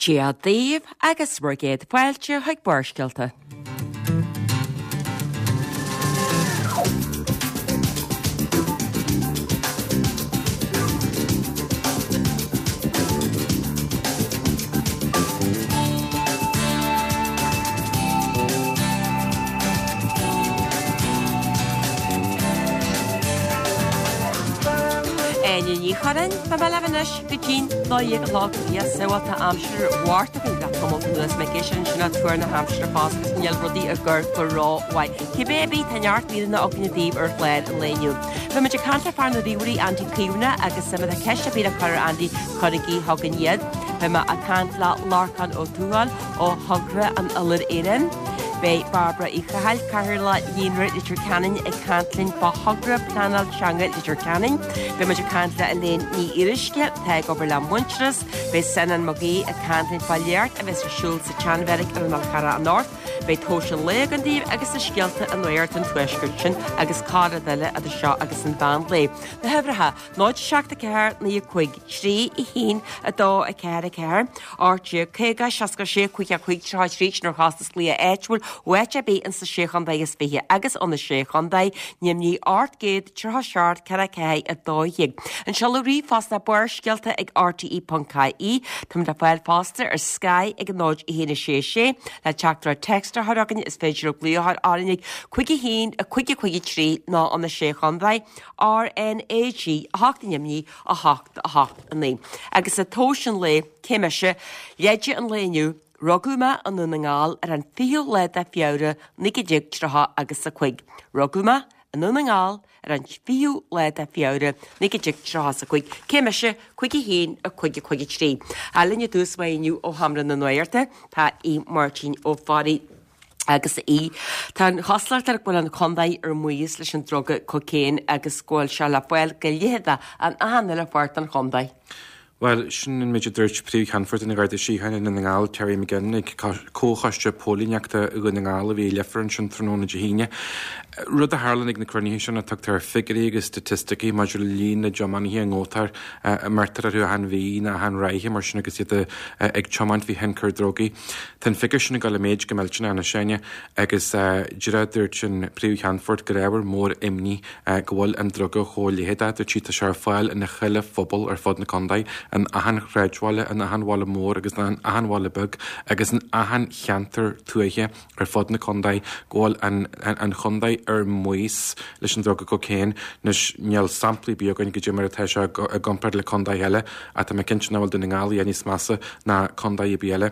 Dia daoibh agus bhur gcéad fáilte chuig Barrscéalta. Áine Ní Churráin, beidh mé libh anois go dtí'n 12 a chlog. Yes, bhuel tá aimsir Mhárta againn le tamall anuas mé ag éisteacht ansin le tuar na haimsire fosta agus níl rudaí ag cur go rómhaith. Cibé ar bith, tá neart míreanna againne daoibh ar chlár an lae inniu. Beidh muid ag caint le fear na ríomhairí Andy Caomhánach agus má tá ceist ar bith le cur ar Andy, cuirigí chugainn iad. Beidh mé ag caint le Lorcán Ó Tuathail ó Thogra an Iolair Éireann. Beidh Bairbre Uí Chathail, Cathaoirleach Líonra Leitir Ceanainn ag caint linn fá thogra pleanáil teanga Leitir Ceanainn. Beidh muid ag caint le Elaine Ní Fhíoruisce, atá ag obair le Muintearas. Beidh Senan Mag Aoidh ag caint linn fá léacht a bheas ar siúl sa tSeanbheairic ar an Fhál Charrach anocht. Beidh tomhais an lae againn daoibh agus na scéalta i nuacht an tuaiscirt sin agus corr-rud eile idir seo agus an mheán lae. Na huimhreacha, 0 7 4 9 5 3 1 2 4 4 18 50 66 5 5 33 sin ar chostas glaoch áitiúil ó áit ar bith ins na Sé Chontae is Fiche agus ó na Sé Chontae Neimnigh 837 4 4 12. An seoladh ríomhphost ná barrscéalta ag rte.ie. Táimid le fáil fosta ar Sky ag 0 1 6 6 le teachtaireacht text a chur chugainn is féidir libh glaoch a chur orainn ag 5 1 5 5 3 nó ó na Sé Chontae RnaG 8 Neimnigh 8 8 9. Agus i tomhais an lae, cé mise, leide an lae inniu, rugadh mé i nDún na nGall ar an 20ú lá de Feabhra 1930 agus a 5. Rugadh mé i nDún na nGall ar an 20ú lá de Feabhra 1930 is a 5. Cé mise? 5 1 5 5 3. Linn i dtús báire inniu ó Sheomra na Nuachta tá Aodh Máirtín Ó Fearraigh. Agus a Aoidh, tá an chosúlacht air go bhfuil an chontae ar maos leis an druga cocaine agus go bhfuil sé le fáil go leitheadach in achan uile pháirt den chontae. Bhuel, sin an méid a dúirt Príomh-Cheannfort na Garda Síochána i nDún na nGall, Terry McGinn, ag Comhchoiste Póilíneachta Dhún na nGall a bhí i Leifear ansin tráthnóna Dé hAoine. Rud a tharlann ag na cruinnithe sin ná tugtar figiúirí agus staitisticí maidir le líon na dtiománaithe a ngabhtar, a mbeirtear orthu achan mhí nó achan ráithe mar sin agus iad ag tiomáint faoi thionchar drugaí. Tá an figiúr sin ag dul i méid go millteanach anois, Áine, agus díreach dúirt an Príomh-Cheannfort gur ábhar mór imní go bhfuil an druga chomh leitheadach. Dúirt sí tá sé ar fáil in chuile phobal ar fud na contae, in achan shráidbhaile, in achan bhaile mór agus in achan bhaile beag agus in achan cheantar tuaithe ar fud na contae go bhfuil an chontae ar maos leis an druga cocaine. Anois níl samplaí ar bith againn goidé mar atá sé i gcomparáid le contaetha eile ach tá mé cinnte nach bhfuil Dún na nGall a dhath níos measa ná contae ar bith eile.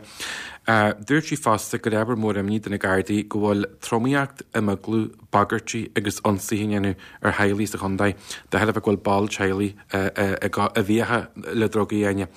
Dúirt sí fosta gur ábhar mór imní do na Gardaí go bhfuil tromaíocht, imeaglú, bagairtí agus ionsaithe á ndéanamh ar theaghlaigh sa chontae de thairbhe go bhfuil ball teaghlaigh i bhfiacha le drugaí, Áine,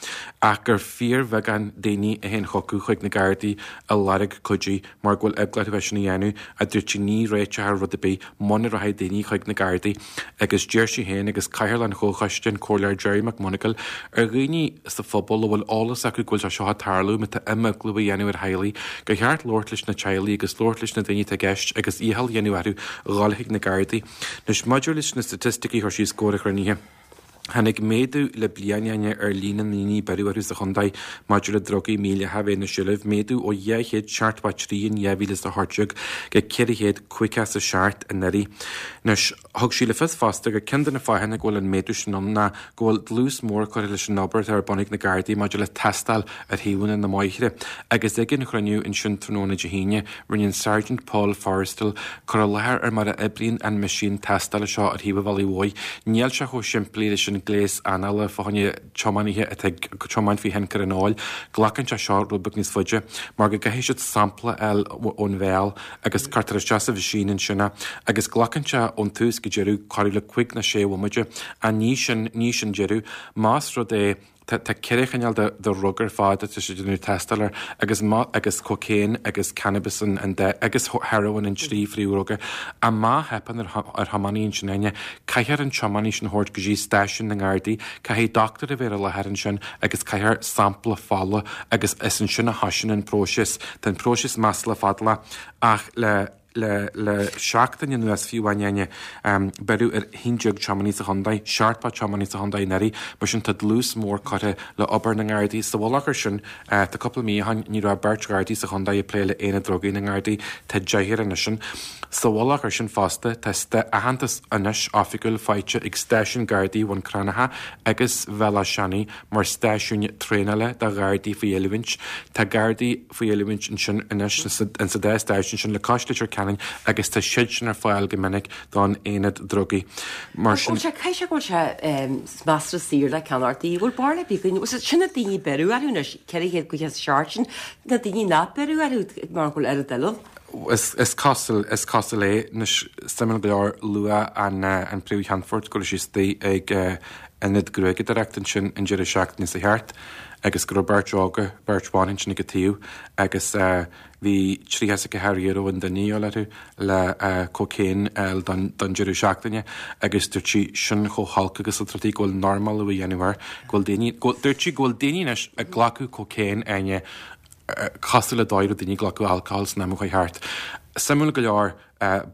ach gur fíorbheagán daoine a théann chucu chuig na Gardaí ag lorg cuidiú mar go bhfuil eagla orthu é sin a dhéanamh, a dúirt sí, ní réiteofar rud ar bith muna rachaidh daoine chuig na Gardaí agus d'iarr sí féin agus Cathaoirleach an Chomhchoiste, an Comhairleoir Gerry McMonagall, ar dhaoine sa phobal a bhfuil eolas acu go bhfuil sé seo ag tarlú, má tá imeaglú á dhéanamh ar theaghlaigh, gur cheart labhairt leis na teaghlaigh agus labhairt leis na daoine atá i gceist agus iachall a dhéanamh orthu dhul chuig na Gardaí. Anois, maidir leis na staitisticí a chuir sí os comhair an chruinnithe, tháinig méadú le bliain, Áine, ar líon na ndaoine a beireadh orthu sa chontae maidir le drugaí mídhleathacha a bheith ina seilbh, méadú ó 273 in 2018 go 457 anuraidh. Anois, Thug sí le fios fosta gur ceann de na fáthanna go bhfuil an méadú sin ann ná go bhfuil dlús mór curtha leis an obair atá ar bun ag na Gardaí maidir le tástáil ar thaobhanna na mbóithre. Agus ag an chruinniú ansin tráthnóna Dé hAoine, rinne an Sergeant Paul Forristal cur i láthair ar mar a oibríonn an meaisín tástála seo ar thaobh an bhealaigh mhóir. Níl sé chomh simplí leis an gléas anála fá choinne tiománaithe atá ag tiomáint faoi thionchar an óil. Glacann sé seo rud beag níos faide mar go gcaithfidh siad sampla a fháil ón bhéal agus cuirtear isteach sa mheaisín ansin é agus glacann sé ón tús go deireadh corradh le cúig nó sé bhomaite ach ní sin ní sin deireadh. Más rud é tá tá ceithre chineál de de dhrug ar fad atá siad ag déanamh tástáil air agus má agus cocaine agus cannabis an an dá agus heroin an trí phríomhdhruga ach má theipeann ar ar thiománaí ansin Áine caithfear an tiománaí sin a thabhairt go dtí stáisiún na nGardaí caithfidh dochtúir a bheith ar an láthair ansin agus caithfear sampla fola agus is ansin a thosaíonn an próiseas. Tá an próiseas maslach fadálach ach le. Le seachtain anuas fiú amháin, Áine, beireadh ar 11 tiománaí sa chontae, 70 tiománaí sa chontae anuraidh, mar sin tá dlús mór curtha le obair na nGardaí. Sa mhullach air sin, tá cúpla mí ó shin ní raibh beirt Ghardaí sa chontae ag plé le haonad drugaí na nGardaí, tá deichniúr anois ann. Sa mhullach air sin fosta, tá aitheantas anois oifigiúil faighte ag stáisiún Gardaí Bhun Cranncha agus Bhéal Átha Seanaidh mar stáisiúin traenála do Ghardaí faoi oiliúint. Tá Gardaí faoi oiliúint ansin anois insa dá stáisiún sin le cois Leitir Ceanainn agus tá siad sin ar fáil go minic don aonad drugaí. Mar sin. Bhuel, caithfidh sé go bhfuil sé measartha saor le ceannacht. Bhfuil barúil ar bith againn? Sin na daoine a beireadh orthu anois, 457 sin na daoine nach beireadh orthu mar go bhfuil oiread eile ann. Is cosúil, is cosúil é. Anois, suimiúil go leor, luaigh an Príomh-Cheannfort go raibh sí istigh ag ionad gruaigeadóireachta ansin an deireadh seachtaine seo thart agus go raibh beirt óga, beirt bhan ansin ag a taobh agus bhí €34 an duine a dhíol orthu le cocaine a fháil don deireadh seachtaine agus dúirt sí sin chomh holc agus atá rudaí go bhfuil normalú á dhéanamh air, go bhfuil daoine, dúirt sí go bhfuil daoine anois ag glacadh cocaine, Áine, cosúil le dóigh a raibh daoine ag glacadh alcohol san am a chuaigh thart. Suimiúil go leor,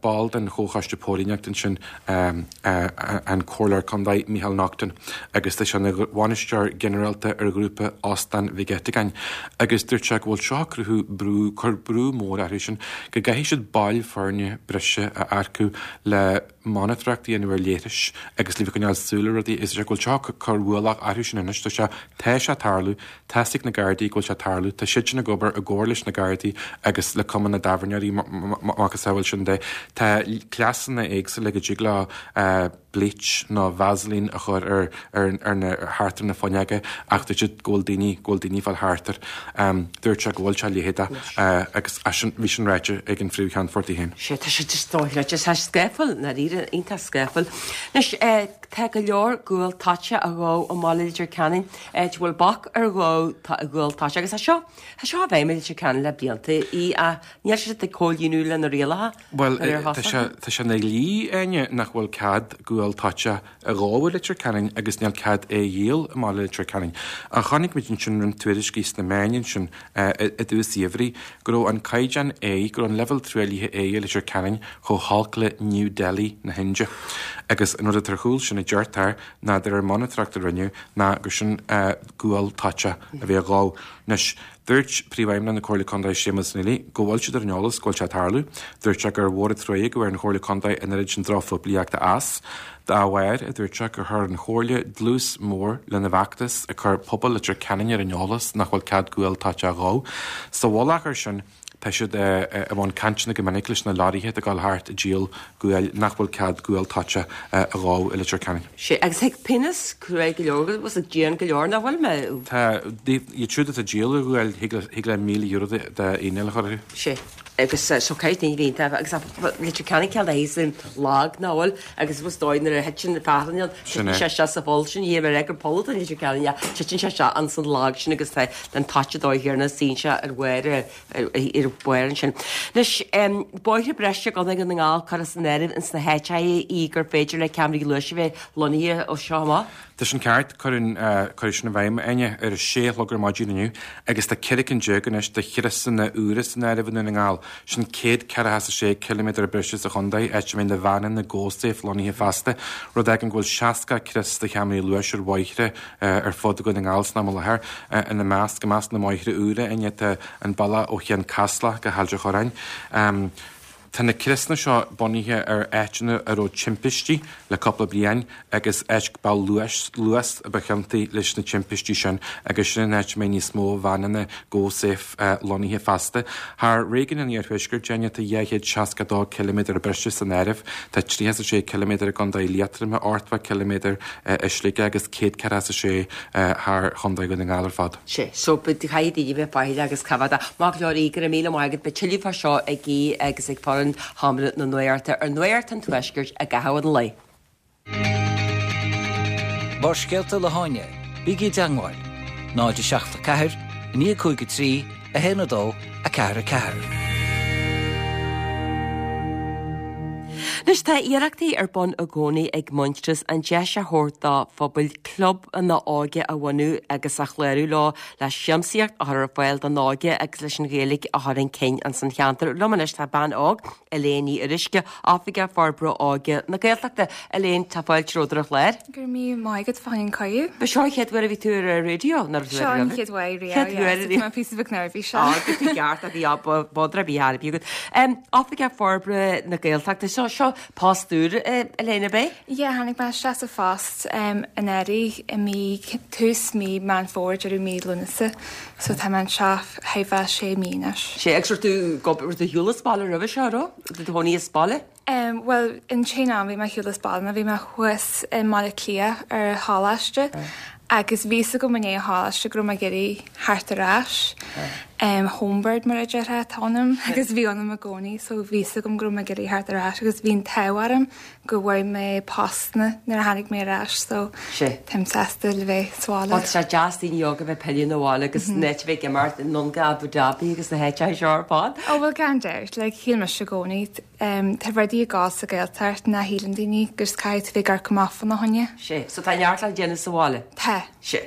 ball den Chomhchoiste Póilíneachta ansin an Comhairleoir Contae Micheál Naughton agus tá sé ina bhainisteoir ginearálta ar ghrúpa Óstán Mhig Eiteagáin agus dúirt sé go bhfuil seo ag cruthú brú, cur brú mór orthu sin go gcaithfidh siad baill foirne breise a earcú le monatóireacht a dhéanamh ar leithris agus le bheith ag coinneáil súil ar rudaí is é go bhfuil seo ag cur ualach orthu sin anois. Tá sé, tá sé ag tarlú, tá's ag na Gardaí go bhfuil sé ag tarlú, tá siad sin ag obair i gcomhar leis na Gardaí agus le Cumann na dTábhairneoirí macasamhail sin de. Tá cleasanna éagsúla go dtig leo bleach nó Vaseline a chur ar ar na thart ar na fuinneoga ach dúirt siad go bhfuil daoine go bhfuil daoine ag fáil thart air. Dúirt sé go bhfuil sé leitheadach agus sin bhí sin ráite ag an phríomh-cheannfort í féin. Sea, tá sé just dochreidte, tá sé scáfúil, ndáiríre, iontach scáfúil. Anois, tá go leor gual toite á dhó i mbaile Leitir Ceanainn, áit a bhfuil bac ar dhó gual toite agus tá seo, tá seo i bhfeidhm i Leitir Ceanainn le blianta, í ach níl siad ag comhlíonadh le na rialacha. Bhuel, tá sé, tá sé ina dhlí, Áine, nach bhfuil cead gual toite a dhó i Leitir Ceanainn agus níl cead é a dhíol i mbaile Leitir Ceanainn. Ach chonaic muid ansin roinnt tuairiscí sna meáin ansin i dtús an gheimhridh go raibh an caighdeán aeir, go raibh an leibhéal truaillithe aeir i Leitir Ceanainn chomh holc le New Delhi na hIndia. Agus an rud atá ar chúl sin, a deirtear, ná de réir monatóireacht a rinneadh, ná gur sin gual toite a bhí á dhó. Anois, Dúirt Príomhfheidhmeannach na Comhairle Contae Séamus Neely go bhfuil siad ar an eolas go bhfuil sé ag tarlú. Dúirt sé gur mhór an truaighe go bhfuair an Chomhairle Contae an oiread sin drochphoiblíochta as. Dá bharr, a dúirt sé, gur chuir an Chomhairle dlús mór lena bhfeachtas ag cur pobal Leitir Ceanainn ar an eolas nach bhfuil cead gual toite a dhó. Sa mhullach air sin, Tá siad i mbun cainteanna go minic leis na leoraithe atá ag dul thart ag díol guail nach bhfuil cead gual toite a dhó i Leitir Ceanainn. Sea, agus thig pionós cruaidh go leor agus dian go leor, nach bhfuil mé? Tá, iad siúd atá ag díol an ghuail, thig le €1,000 d'fhíneáil a chur orthu. Sea, agus so caithfidh daoine bheith iontach, agus Leitir Ceanainn cineál de thíos in lag, nach bhfuil? Agus is dóigh nuair a thiteann fearthainn ann, titeann sé isteach sa pholl sin, níl mé ag rá gur poll atá in Leitir Ceanainn, ach titeann sé isteach ins an lag sin agus tá an toite dóigh chéanna, suíonn sé ar bharr ar bharr ansin. Anois, bóithre breise i gContae Dhún na nGall curtha san áireamh ins na háiteacha í gur féidir le ceamaraí luais a bheith lonnaithe ó seo amach. Tá sin ceart, cuireadh cuireadh sin i bhfeidhm, Áine, ar a sé a chlog ar maidin inniu agus tá 14 cinn anois de chriosanna úra san áireamh i nDún na nGall. Sin 146 ciliméadar breise sa chontae, áit a mbeidh na veaineanna GoSafe lonnaithe feasta, rud a fhágann go bhfuil 60 crios de cheamaraí luais ar bhóithre ar fud Dhún na nGall san am i láthair. Ina measc, i measc na mbóithre úra, Áine, tá an bealach ó Cheann Caslach go hAilt an Chorráin. Tá na criosanna seo bunaithe ar áiteanna a raibh timpistí le cúpla bliain agus áit bealach luais, luas a ba chiontaí leis na timpistí sin agus sin an áit a mbeidh níos mó veaineanna GoSafe lonnaithe feasta. Thar réigiún an Iarthuaiscirt, Áine, tá 262 ciliméadar breise san áireamh. Tá 36 ciliméadar i gContae Liatroma, 80 ciliméadar i Sligeach agus 146 thar Chontae Dhún na nGall ar fad. Sea, so caithfidh daoine bheith faichilleach agus coimhéadach. Maith go leor Aodh, go raibh míle maith agat. Beidh tuilleadh fá seo ag Aodh agus ag foireann Sheomra na Nuachta ar Nuacht an Tuaiscirt i gcaitheamh an lae. Barrscéalta le hÁine, bígí i dteangmháil, 0 7 4 9 5 3 1 2 4 4. Anois tá iarrachtaí ar bun i gcónaí ag Muintearas an deis a thabhairt do phobail clubanna óige a bhunú agus a chlárú leo le siamsaíocht a chur ar fáil don óige agus leis an Ghaeilge a chur chun cinn ins an cheantar. Liom anois tá bean óg, Elaine Ní Fhuaruisce, Oifigeach Forbartha Óige na Gaeltachta. Elaine, tá fáilte romhat ar an chlár. Go raibh míle maith agat fá choinne an cuireadh. Ba seo an chéad uair a bhí tú ar an raidió, nó raibh tú Seo an chéad uair riamh, Chéad uair riamh. Tá mé píosa beag neirbhíseach. Á, go dtí ceart a bhí á bodra bhí thar agat. Oifigeach Forbartha na Gaeltachta, seo seo post úr, Elaine, ab é? Yeah, tháinig mé isteach sa phost anuraidh i mí, tús mí Meán Fómhair, deireadh mí Lúnasa. So tá mé anseo chóir a bheith sé mí anois. Sé, agus raibh tú ag obair, raibh tú ar shiúl as baile roimhe seo, raibh? Raibh tú i do chónaí as baile? Em, bhuel, an t-aon am bhí mé ar shiúl as baile ná bhí mé thuas i mBaile Átha Cliath ar choláiste agus bhí fhios agam i ndiaidh an choláiste go raibh mé ag iarraidh theacht ar ais. Em, homebird mar a déarfá atá ionam agus bhí ionam i gcónaí so bhí fhios agam go raibh mé ag iarraidh theacht ar ais agus bhí an t-ádh orm go bhfuair mé post nuair a tháinig mé ar ais so táim sásta le bheith sa bhaile. Bhuel tá sé deas daoine óga a bheith ag pilleadh 'na bhaile agus an áit a bheith ag imirt anonn go Abu Dhabi agus na háiteacha seo ar fad. Ó bhuel gan dabht, like shíl mise i gcónaí Tá rudaí ag gabháil sa Ghaeltacht nach shíleann daoine agus caithfidh tú bheith ag amharc amach fána choinne. Sé. So tá neart le déanamh sa bhaile? Tá. Sé.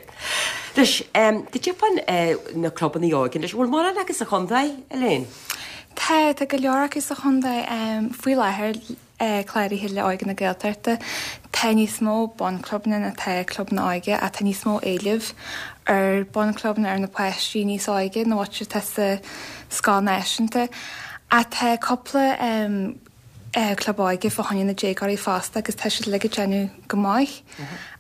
Anois, cad é fán na clubanna óige anois, bhfuil mórán acu sa chontae, Elaine? Tá, tá go leor acu sa chontae. Faoi láthair, cláraithe le Óige na Gaeltachta, tá níos mó bunchlubanna ná tá clubanna óige ach tá níos mó éilimh ar bhunchlubbanna ar na páistí níos óige ná what atá sa scoil náisiúnta. Ach tá cúpla club óige fá choinne na déagóirí fosta agus tá siad uilig ag déanamh go maith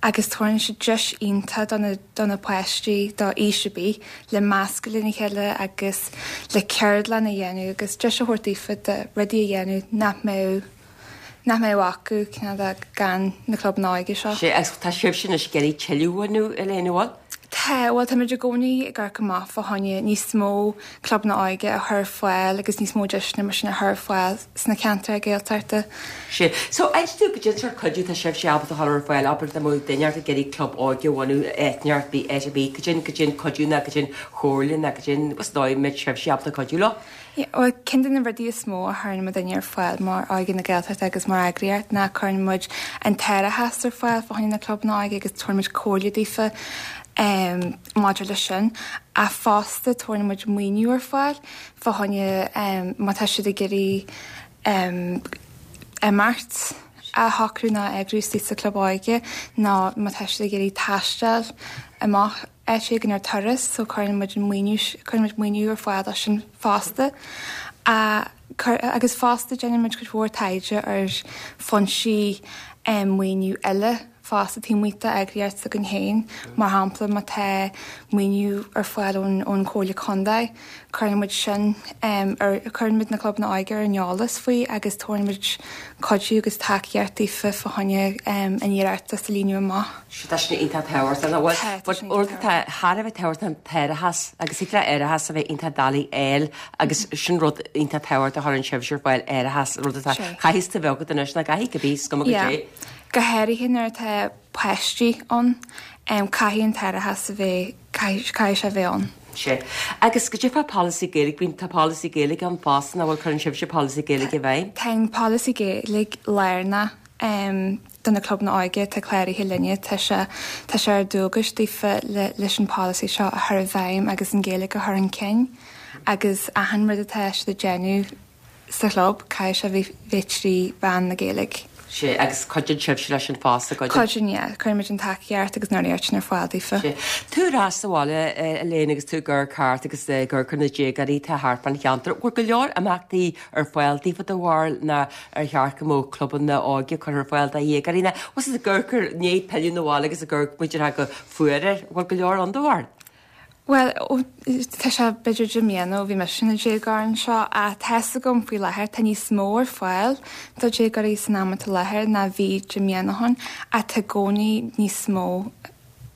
agus tabharann siad deis iontach do na do na páistí do aois ar bith le meascadh lena chéile agus le ceardlann a dhéanamh agus deis a thabhairt daofa de rudaí a dhéanamh nach mbeadh nach mbeadh acu cineál de gan na clubanna óige seo. Sé, agus tá sibhse anois ag iarraidh tuilleadh a bhunú, Elaine, an bhfuil? Tá, bhuel táimid i gcónaí ag amharc amach fá choinne níos mó clubanna óige a chur ar fáil agus níos mó deiseanna mar sin a chur ar fáil sna ceantair Gaeltachta. Sé, so inis domh goidé an sórt cuidiú tá sibhse ábalta a chur ar fáil, abair dá mbeadh duine ag iarraidh club óige a bhunú áit ar bith, áit ar bith, goidé an, goidé an cuidiú ná goidé an chomhairle ná goidé an, is dóigh a mbeadh sibhse ábalta cuidiú leo? Bhuel, ceann de na rudaí is mó a chuireann muidinne ar fáil mar Óige na Gaeltachta agus mar eagraíocht ná cuireann muid an t-árachas ar fáil fá choinne na clubanna óige agus tabharann muid comhairle daofa maidir leis sin. Ach fosta tabharann muid maoiniú ar fáil fá choinne má tá siad ag iarraidh imeacht a shocrú nó a eagrú istigh sa chlub óige nó má tá siad ag iarraidh taisteal amach áit éigin ar turas so cuireann muid an maoiniú, cuireann muid maoiniú ar fáil dó sin fosta. Agus fosta déanann muid cuid mhór taighde ar foinsí maoiniú eile fosta taobh amuigh d'eagraíocht s'againn féin. Mar shampla má tá maoiniú ar fáil ón ón Chomhairle Contae, cuireann muid sin ar, cuireann muid na clubanna óige ar an eolas faoi agus tabharann muid cuidiú agus tacaíocht daofa fá choinne an iarratas a líonadh amach. Sea, tá sin iontach tábhachtach, nach bhfuil? Tá, tá sin iontach tábhachtach. Tá thar a bheith tábhachtach an t-árachas agus thig le árachas a bheith iontach doiligh a fháil agus sin rud iontach tábhachtach a chuireann sibhse ar fáil, árachas, rud atá, chaithfeas tú a bheith agat anois, nach gcaithfidh, cibé, is cuma goidé. Go háirithe nuair atá páistí ann, caithfidh an t-árachas a bheith, caithfidh sé a bheith ann. Sea. Agus goidé fá polasaí Gaeilge, bíonn, tá polasaí Gaeilge ann fosta, nach bhfuil, cuireann sibhse polasaí Gaeilge i bhfeidhm? Tá an polasaí Gaeilge lárnach do na clubanna óige atá cláraithe linne. Tá sé, tá sé ar dualgas daofa le, leis an pholasaí seo a chur i bhfeidhm agus an Ghaeilge a chur chun cinn agus achan rud atá siad ag déanamh sa chlub, caithfidh sé bheith, bheith trí mheán na Gaeilge. Sea, agus cuidíonn sibhse leis sin fosta, gcuidíonn? Cuidíonn, yeah. Cuireann muid an tacaíocht agus an urraíocht sin ar fáil daofa. Sea. Tú ar ais sa bhaile, Elaine, agus tú ag amharc thart agus ag amharc ar na déagóirí atá thart fán cheantar. Bhfuil go leor imeachtaí ar fáil daofa do bharúil ná ar cheart go mbeadh clubanna óige curtha ar fáil do dhéagóirí ná bhfuil siad ag amharc ar ndiaidh pilleadh 'na bhaile agus ag amharc b'fhéidir go fuar air, bhfuil go leor ann do bharúil? Bhuel, tá sé b'fhéidir 10 mbliana ó bhí mise ina déagóir anseo ach tá 'fhios agam faoi láthair tá níos mó ar fáil do dhéagóirí san am atá i láthair ná bhí 10 mbliana ó shin ach tá i gcónaí níos mó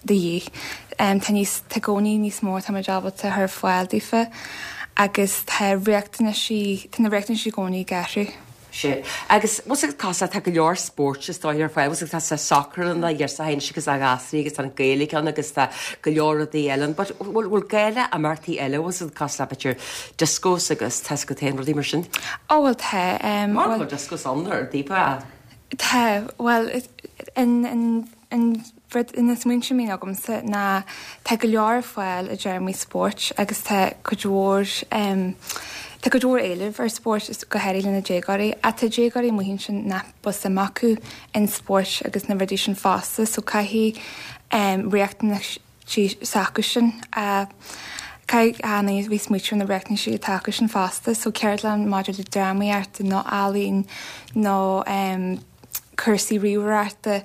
de dhíth. Tá níos, tá i gcónaí níos mó atá muid ábalta a chur ar fáil daofa agus tá riachtanaisí, tá na riachtanaisí i gcónaí ag athrú. Sea. Agus bhfuil fhios agat cosúil tá go leor spóirt is dóigh ar fáil, bhfuil fhios agat tá sacar ann ar sa agus a ghasraí agus tá an Gaeilge ann agus tá go leor rudaí eile ann but bhfuil bhfuil gá le imeachtaí eile bhfuil fhios agat cosúil le b'fhéidir discos agus tá fhios agat féin rudaí mar sin? Ó bhuel tá em bhuel bhfuil discos ann ar daofa? Tá bhuel an an an rud na smaointe a bhíonn agamsa ná tá go leor ar fáil i dtéarmaí spóirt agus tá cuid mhór em tá cuid mhór éilimh ar spórt go háirithe le na déagóirí ach tá déagóirí amuigh ansin nach bhfuil suim acu in spóirt agus na rudaí sin fosta so caithfidh em riachtanaisí s'acusan a caithfidh a bheith smaoitiú ar na riachtanaisí atá acusan fosta so ceardlann maidir le drámaíocht nó ealaín nó em cúrsaí ríomhaireachta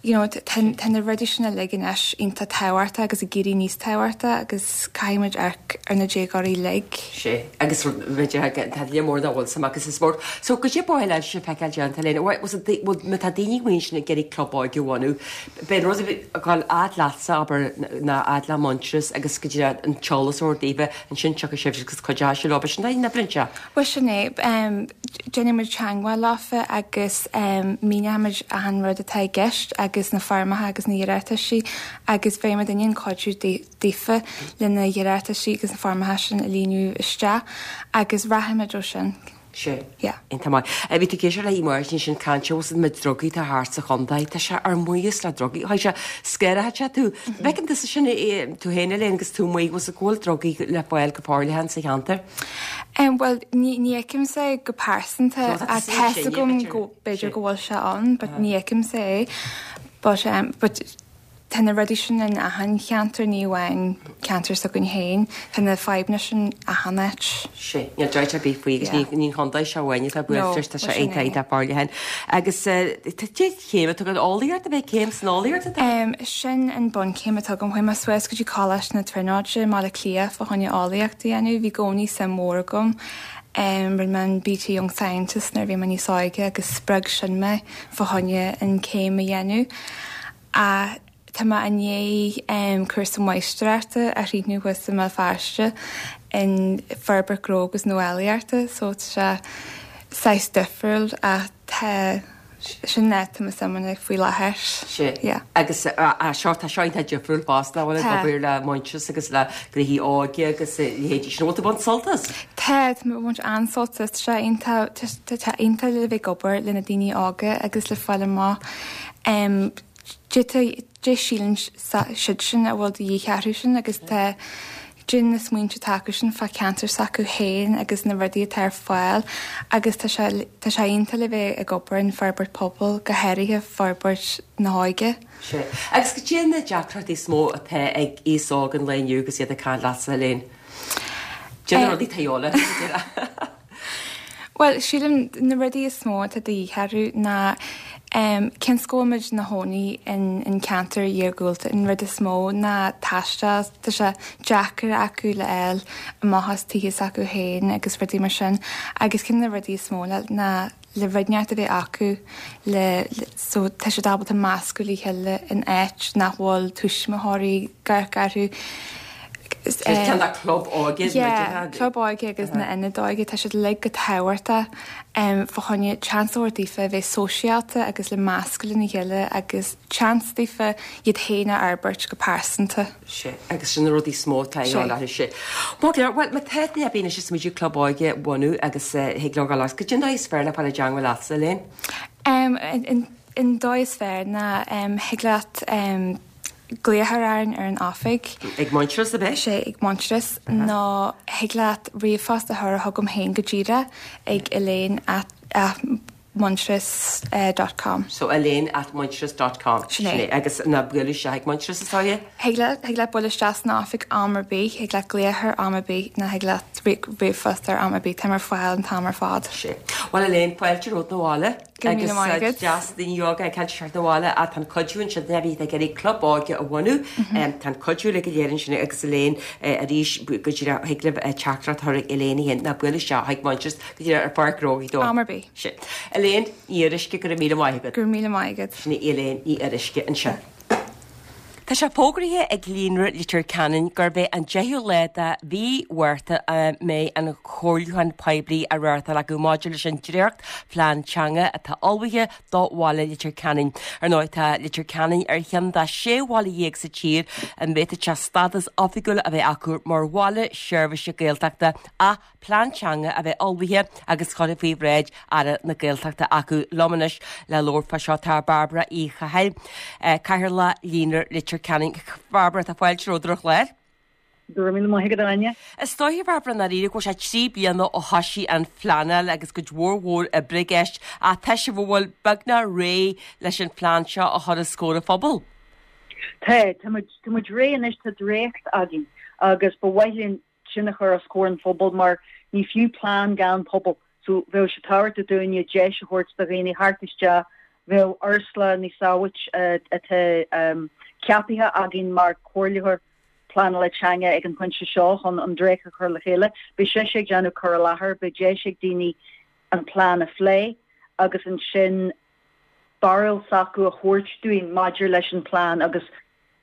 you know tá tá na rudaí sin uilig anois iontach tábhachtach agus ag éirí níos tábhachtaí agus caithfidh muid amharc ar na déagóirí uilig. Sea, agus b'fhéidir tá lear mór nach bhfuil suim acu sa spórt. So goidé ba mhaith leat feiceáil déanta Elaine, bhuel má tá daoine amuigh ansin ag iarraidh club óige a bhunú, beidh an rud ag dul fhad leatsa abair nó fhad le Muintearas agus go dtí an t-eolas a thabhairt daofa ansin tiocfaidh sibh agus cuideoidh sibh leo, b'shin an oibreann sé. Bhuel sin é. Déanfaidh muid teagmháil leofa agus míneoidh muid achan rud atá i gceist agus na foirmeacha agus na hiarrataisí agus beidh muid in ann cuidiú daofa le na hiarrataisí agus na foirmeacha sin a líonadh isteach agus rachaidh muid ó sin. Sea. Yeah. Iontach maith. Bhí tú ag éisteacht le Máirtín ansin ag caint fós na drugaí atá thart sa chontae. Tá sé ar maos le drugaí. Tá sé scanraithe sé tú. Bhfeiceann tusa sin tú féin Elaine agus tú amuigh bhfuil go bhfuil drugaí le fáil go forleathan sa cheantar? Bhuel, ní fheicimse é go pearsanta ach tá fhios agam go b'fhéidir go bhfuil sé ann but ní fheicimse é. But but tá na rudaí sin in achan cheantar, ní amháin ceantar s'againn féin, tá na fadhbanna sin achan áit. Sea, níl dabht ar bith faoi agus ní an chontae seo amháin atá buailte leis, tá sé iontach iontach forleathan. Agus tá céim atá agat, eolaíocht, ab é céim san eolaíocht atá agat? Sin an bunchéim atá agam. Chuaigh mé suas go dtí Coláiste na Tríonóide i mBaile Átha Cliath fá choinne eolaíocht a dhéanamh. Bhí i gcónaí suim mhór agam. Rinne mé an BT Young Scientist nuair a bhí mé níos óige agus spreag sin mé fá choinne an chéim a dhéanamh. Ach tá mé i ndiaidh cúrsa máistreachta a chríochnú thuas i mBéal Feirste in forbairt gnó agus nuálaíochta so tá sé saghas difriúil ach tá sin é tá mé suim ann faoi láthair. Sea. Yeah. Agus seo tá seo iontach difriúil fosta nach bhfuil ag obair le Muintearas agus le gnoithí óige agus a leithéidí sin. Bhfuil tú ag baint sult as? Tá, tá mé ag baint an-sult as. Tá sé iontach tá sé iontach le bheith ag obair le na daoine óga agus le fáil amach Cad é síleann siad sin a bhfuil de dhíth orthu sin agus tá cad é na smaointe atá acu sin fá cheantar s'acu féin agus na rudaí atá ar fáil agus tá sé tá sé iontach le bheith ag obair in forbairt pobail, go háirithe forbairt na hóige. Sea. Agus cad é na deacrachtaí is mó atá ag aos óg an lae inniu agus iad ag caint leatsa, Elaine? Cad é na rudaí atá de dhíobháil orthu. Bhuel, sílim na rudaí is mó atá de dhíth orthu ná cionn is go bhfuil muid ina chónaí in ceantar iargúlta, an rud is mó ná taisteal, tá sé deacair acu le fháil amach as tithe s'acu féin agus rudaí mar sin agus ceann de na rudaí is mó ná le rud inteacht a bheith acu le so tá siad ábalta meascadh le chéile in áit nach bhfuil tuismitheoirí ag amharc orthu. Ceann de club óige. Yeah, club óige agus na ionaid óige, tá siad uilig go tábhachtach fá choinne chance a thabhairt daofa a bheith sóisialta agus le meascadh lena chéile agus chance daofa iad féin a fhorbairt go pearsanta. Sea, agus sin na rudaí is mó atá ag dul orthu, sea. Maith go leor, bhuel, má tá duine ar bith anois ag smaoitiú club óige a bhunú agus thig leo dul cad é an dóigh is fearr le fáil i dteangmháil leatsa, Elaine? An dóigh is fearr ná thig leat glaoch a chur orainn ar an oifig. Ag Muintearas ab ea? Sea, ag Muintearas. Nó thig leat ríomhphost a chur chugam féin go díreach ag elaine at muintearas dot com. So elaine at muintearas dot com. Sin é. Agus ná buail isteach ag Muintearas is dóigh? Thig leat, thig leat bualadh isteach san oifig am ar bith, thig leat glaoch ar am ar bith nó thig leat ríomhphost ar am ar bith, táim ar fáil an t-am ar fad. Sea. Bhuel Elaine, fáilte romhat 'na bhaile. Go raibh míle maith agat. Agus deas daoine óga ag caint isteach 'na bhaile ach tá an cuidiú ansin duine ar bith atá ag iarraidh club óige a bhunú, tá an cuidiú uilig go léir ansin agus Elaine arís go díreach thig libh teachtaireacht a chur ag Elaine í féin ná buail isteach chuig Muintearas go díreach ar Pháirc Ghnó Ghaoth Dobhair. Am ar bith. Sin. Elaine Ní Fhíoruisce, go raibh míle maith agat. Go raibh míle maith agat. Sin í Elaine Ní Fhíoruisce ansin. Tá sé fógraithe ag Líonra Leitir Ceanainn gurb é an 10ú lá de mhí Mhárta a mbeidh an comhairliúchán poiblí á reáchtáil acu maidir leis an dréacht phlean teanga atá ullmhaithe do bhaile Leitir Ceanainn. Ar ndóigh tá Leitir Ceanainn ar cheann de 16 bhaile sa tír a bhféadfadh sé stádas oifigiúil a bheith acu mar bhaile seirbhíse Gaeltachta ach plean teanga a bheith ullmhaithe agus curtha faoi bhráid Aire na Gaeltachta acu. Liom anois le labhairt fá seo tá Bairbre Uí Chathail, Cathaoirleach Líonra Leitir Ceanainn. Bairbre, tá fáilte romhat ar an chlár. Go raibh míle maith agat, Áine. Is dóiche, Bhairbre, i ndáiríre go bhfuil sé 3 bliana ó thoisigh an phleanáil agus cuid mhór mhór oibre i gceist ach tá sibh, an bhfuil, beagnach réidh leis an phlean seo a chur os comhair an phobail. Tá, tá muid, tá muid réidh anois, tá dréacht againn agus ba mhaith linn sin a chur os comhair an phobail mar ní fiú plean gan pobal. So bheadh sé tábhachtach dúinne deis a thabhairt do dhaoine theacht isteach, bheadh Ursula Ní Sabhait atá ceapaithe againn mar comhairleoir pleanála teanga ag an phointe seo chun an dréacht a chur le chéile. Beidh sise ag déanamh cur i láthair, beidh deis ag daoine an plean a phlé agus ansin barúil s'acu a thabhairt dúinn maidir leis an plean agus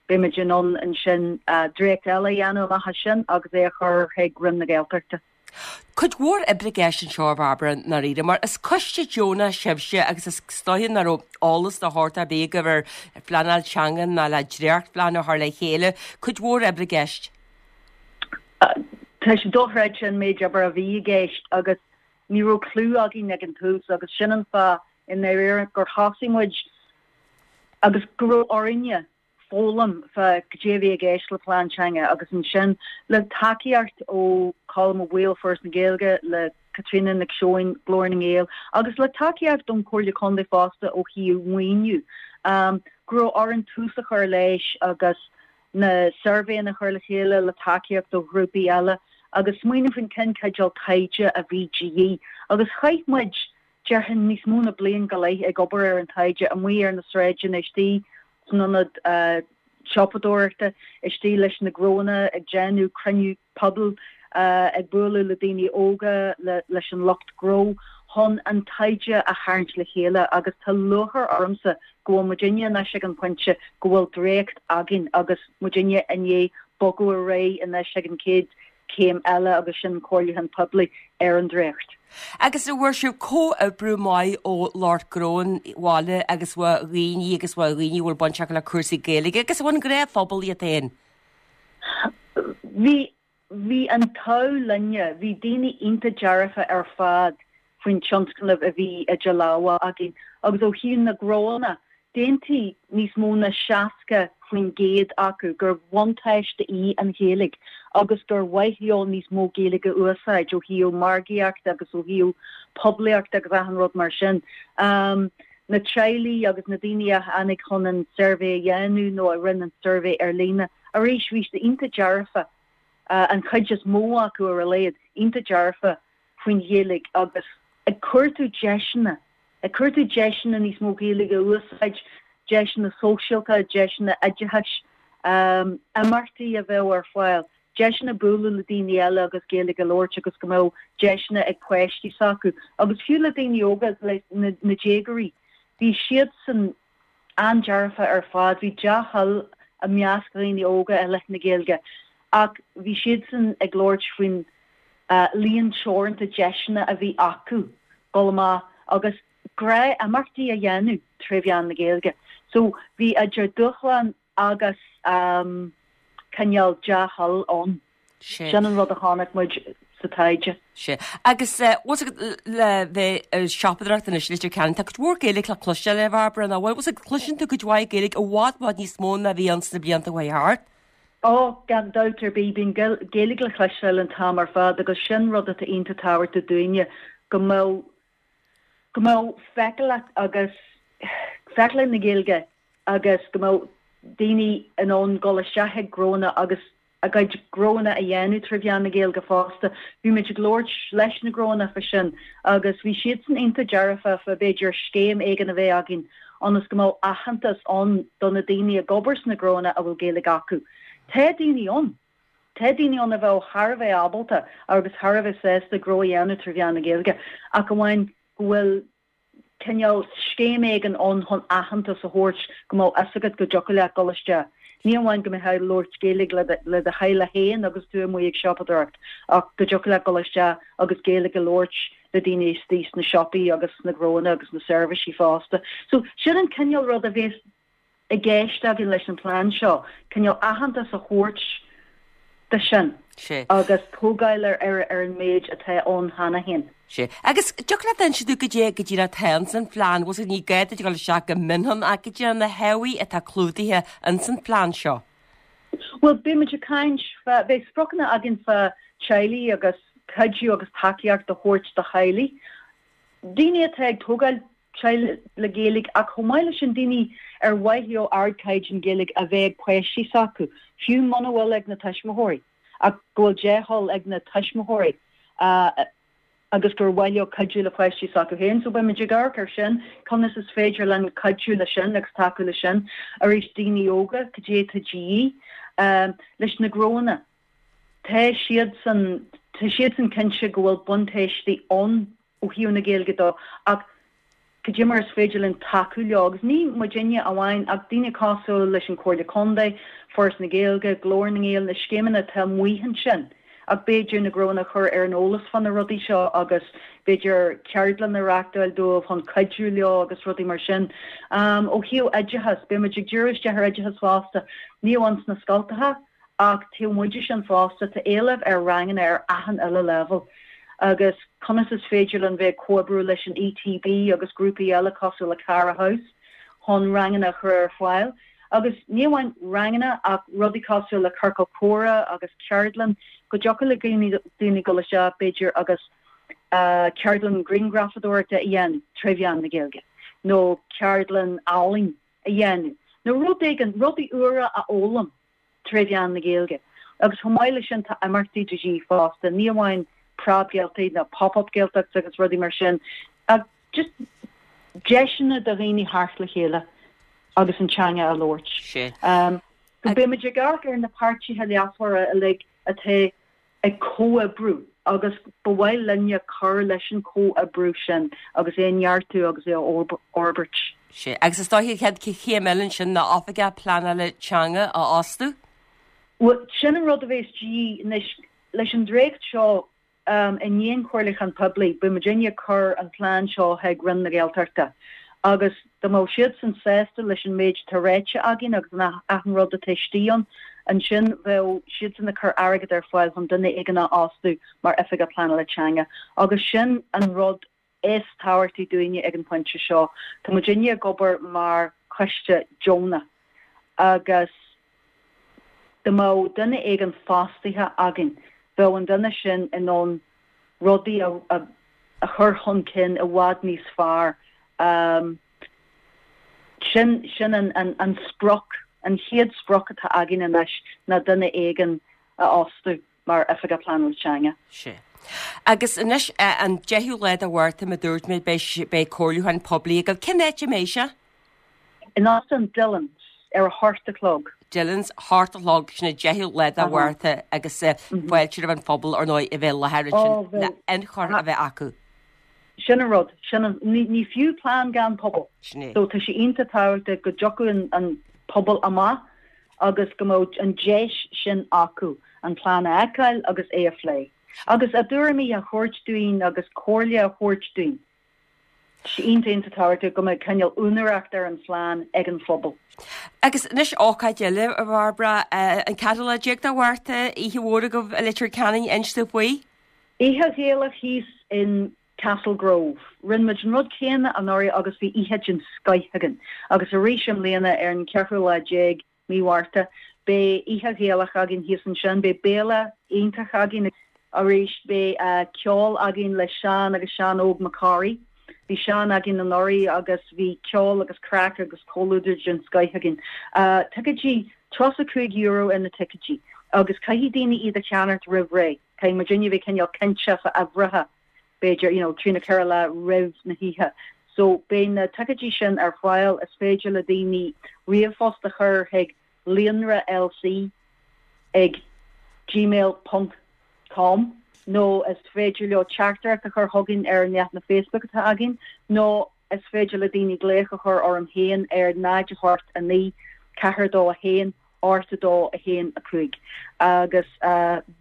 Beimid in ann ansin dréacht eile a dhéanamh amach as sin agus é a chur chuig Roinn na Gaeltachta. Cuid mhór oibre i gceist anseo, a Bhairbre, i ndáiríre, mar is coiste deonach sibhse agus is dóiche nach raibh eolas de shórt ar bith agaibh ar phleanáil teanga ná le dréachtphlean a chur le chéile. Cuid mhór oibre i gceist. Tá sé dochreidte an méid oibre a bhí i gceist agus ní raibh clue againn ag an tús agus sin an fáth i ndáiríre gur thosaigh muid agus go raibh orainne foghlaim fá goidé a bhí i gceist le plean teanga agus ansin le tacaíocht ó Colm Ó Baoill, Foras na Gaeilge, le Caitríona Nic Seoin, Glór na nGael, agus le tacaíocht ón Chomhairle Contae fosta ó thaobh maoiniú, go raibh orainn tús a chur leis agus na suirbhéanna a chur le chéile le tacaíocht ó ghrúpaí eile agus smaoineamh faoin cén cineál taighde a bhí de dhíth. Agus chaith muid déarfainn níos mó na bliain go leith ag obair ar an taighde, amuigh ar na sráideanna, istigh san ionad siopadóireachta, istigh leis na gnóanna, ag déanamh cruinniú pobail, ag bualadh le daoine óga, leis an lucht gnó, chun an taighde a tharraingt le chéile agus tá lúcháir ormsa go bhfuil muidinne anois ag an phointe go bhfuil dréacht againn agus muidinne i ndiaidh bogadh ar aghaidh anois ag an chéad céim eile agus sin comhairliúchán poiblí ar an dréacht. Agus an bhfuair sibh comhoibriú maith ó lucht gnó an bhaile agus ó dhaoine agus ó dhaoine a bhfuil baint acu le cúrsaí Gaeilge agus ón ngnáthphobal iad féin? Bhí, bhí an t-ádh linne, bhí daoine iontach dearfa ar fad faoin tionscnamh a bhí idir lámha againn agus ó thaobh na gnóanna, d'aontaigh níos mó ná 60% acu gur bhuntáiste í an Ghaeilge agus gur mhaith leo níos mó Gaeilge a úsáid ó thaobh margaíochta agus ó thaobh poiblíochta agus achan rud mar sin. Na teaghlaigh agus na daoine a tháinig chun an suirbhé a dhéanamh nó a rinne an suirbhé ar líne, arís bhí siad iontach dearfa, an chuid is mó acu ar a laghad, iontach dearfa faoin Ghaeilge agus ag cuartú deiseanna, ag cuartú deiseanna níos mó Gaeilge a úsáid, deiseanna sóisialta, deiseanna oideachais, imeachtaí a bheadh ar fáil, deiseanna bualadh le daoine eile agus Gaeilge a labhairt agus go mbeadh deiseanna ag páistí s'acu agus fiú le daoine óga, le na déagóirí. Bhí siadsan an-dearfa ar fad, bhí dea-thoil i measc dhaoine óga i leith na Gaeilge ach bhí siadsan ag labhairt faoin líon teoranta deiseanna a bhí acu dul amach agus gnáth-imeachtaí a dhéanamh tré mheán na Gaeilge. So bhí idir dúshlán agus cineál dea-thoil ann. Sin an rud a chonaic muid sa taighde. Sea. Agus bhfuil fhios agat le bheith ag siopadóireacht anois i Leitir Ceanainn, tá cuid mhór Gaeilge le cloisteáil a Bhairbre, nach bhfuil? Bhfuil fhios agat, cloiseann tú cuid mhaith Gaeilge i bhfad, bhfad níos mó ná a bhí ann sna blianta a chuaigh thart. Ó, gan dabht ar bith, bíonn Gaeilge le cloisteáil an t-am ar fad agus sin rud atá iontach tábhachtach dúinne, go mbeadh, go mbeadh feiceálacht agus feiceálacht na Gaeilge agus go mbeadh daoine in ann dul isteach ag gnóanna agus a gcuid gnóanna a dhéanamh tré mheán na Gaeilge fosta. Bhí muid ag labhairt leis na gnóanna fá sin agus bhí siadsan iontach dearfa fá b'fhéidir scéim éigin a bheith againn ionas go mbeadh aitheantas ann do na daoine ag obair sna gnóanna a bhfuil Gaeilge acu. Tá daoine ann. Tá daoine ann a bheadh thar a bheith ábalta agus thar a bheith sásta gnó a dhéanamh trí mheán na Gaeilge ach amháin go bhfuil cineál scéim éigin ann chun aitheantas a thabhairt go mbeadh fhios agat go dtiocfadh leat dul isteach. Ní amháin go mbeifeá ag labhairt Gaeilge le le do theaghlach féin agus tú amuigh ag siopadóireacht ach go dtiocfadh leat dul isteach agus Gaeilge a labhairt le daoine istigh sna siopaí agus sna gnóanna agus na seirbhísí fosta. So sin an cineál rud a bhéas i gceist againn leis an phlean seo, cineál aitheantas a thabhairt do sin agus tógáil ar ar an méid atá ann cheana féin. Sea. Agus dtiocfadh leat inse dúinn goidé go díreach atá ins an phlean, bhfuil 's agat ní gá duit a dhul isteach go mion ann ach goidé na hábhair atá clúdaithe ins an phlean seo. Bhuel, beidh muid ag caint fá, beidh spriocanna againn fá teaghlaigh agus cuidiú agus tacaíocht a thabhairt do theaghlaigh, daoine atá ag tógáil teaghlaigh le Gaeilge ach chomh maith leis sin daoine ar mhaith leo ardchaighdeán Gaeilge a bheith ag páistí s'acu, fiú muna bhfuil ag na tuismitheoirí ach go bhfuil dea-thoil ag na tuismitheoirí agus gur mhaith leo cuidiú le páistí s'acu féin. So beidh muid ag amharc ar sin, conas is féidir linn cuidiú le sin agus tacú le sin. Arís daoine óga, cad é atá de dhíth leis na gnóanna. Tá siadsan, tá siadsan cinnte go bhfuil buntáistí ann ó thaobh na Gaeilge dó ach cad é mar is féidir linn tacú leo agus ní muidinne amháin ach daoine cosúil leis an Comhairle Contae, Foras na Gaeilge, Glór na nGael, na scéimeanna atá amuigh ansin ach b'fhéidir na gnóanna a chur ar an eolas fá na rudaí seo agus b'fhéidir ceardlann a reachtáil dóibh chun cuidiú leo agus rudaí mar sin. Ó thaobh oideachas, beidh muid ag díriú isteach ar oideachas fosta, ní amháin sna scoltacha, Ach taobh amuigh de sin fosta, tá éileamh ar ranganna ar achan uile leibhéal agus conas is féidir linn bheith ag comhoibriú leis an ETB agus grúpaí eile cosúil le Cara House chun ranganna a chur ar fáil. Agus ní amháin ranganna ach rudaí cosúil le ciorcal comhrá agus ceardlann go dtiocfadh le daoine dul isteach b'fhéidir agus ceardlann grianghrafadóireachta a dhéanamh tré mheán na Gaeilge nó ceardlann ealaín a dhéanamh nó rud éigin, rudaí úra a fhoghlaim tré mheán na Gaeilge. Agus chomh maith leis sin tá imeachtaí de dhíth fosta, ní amháin Preab-Ghaeltacht nó Pop-Up Gaeltachts agus rudaí mar sin ach just deiseanna do dhaoine theacht le chéile agus an teanga a labhairt. So beidh muid ag amharc ar na páirtithe leasmhara uilig atá ag comhoibriú agus ba mhaith linne cur leis an chomhoibriú sin agus é a neartú agus é a fhorbairt. Sea, agus is dóiche an chéad chéim eile ansin ná oifigeach pleanála teanga a fhostú? Bhuel, sin an rud a bhéas de dhíth anois. Leis an dréacht seo, i ndiaidh an chomhairliúcháin poiblí, beidh muidinne ag cur an plean seo chuig Roinn na Gaeltachta agus dá mbeadh siadsan sásta leis an méid atá ráite againn agus an achan rud atá istigh ann, ansin bheadh siadsan ag cur airgead ar fáil chun duine éigin a fhostú mar Oifigeach Pleanála Teanga agus sin an rud is tábhachtaí dúinne ag an phointe seo. Tá muidinne ag obair mar choiste deonach agus dá mbeadh duine éigin fostaithe againn, bheadh an duine sin in ann rudaí a chur chun cinn i bhfad níos fearr. Sin sin an sprioc, an chéad sprioc atá againn anois ná duine éigin a fhostú mar Oifigeach Pleanála Teanga. Sea. Agus anois, an 10ú lá de Mhárta, mar a dúirt mé, beidh beidh comhairliúchán poiblí agaibh. Cén áit a mbeidh sé? In Óstán Dillon's ar a hocht a chlog. Dillon's, hocht a chlog, sin an 10ú lá de Mhárta agus fáilte roimh an phobal, ar ndóigh, a bheith i láthair ansin le ionchur a bheith acu. Sin an rud. Sin an, ní, ní fiú plean gan pobal. Sin é. So tá sé iontach tábhachtach go dtiocfadh an, an pobal amach agus go mbeadh an deis sin acu an plean a fheiceáil agus é a phlé. Agus a dtuairimí a thabhairt dúinn agus comhairle a thabhairt dúinn. Tá sé iontach iontach tábhachtach go mbeadh cineál úinéireacht ar an phlean ag an phobal. Agus anois ócáid eile, a Bhairbre, an ceathrú lá déag de Mhárta, oíche mhór agaibh i Leitir Ceanainn, inis dúinn faoi. Oíche Ghaelach thíos in Castle Grove. Rinne muid an rud céanna anuraidh agus bhí oíche den scoith againn. Agus arís i mbliana ar an cheathrú lá déag mí Mhárta beidh oíche Ghaelach againn thíos ansin. Beidh béile iontach againn arís. Beidh ceol againn le Seán agus Seán Óg Mac Corraidh. Bhí Seán againn anuraidh agus bhí ceol agus craic agus comhluadar den scoith againn. Ticéidí, €35 ar na ticéidí agus caithfidh daoine iad a cheannacht roimh ré. Caithfidh muidinne a bheith cineál cinnte fá uimhreacha, b'fhéidir, you know, trí nó ceithre lá roimh na hoíche. So, beidh na ticéidí sin ar fáil, is féidir le daoine ríomhphost a chur chuig líonra lc ag gmail ponc com nó is féidir leo teachtaireacht a chur chugainn ar an leathanach Facebook atá againn nó is féidir le daoine glaoch a chur orm féin ar 0 8 9 4 2 1. 8, 2, 1, 5. Agus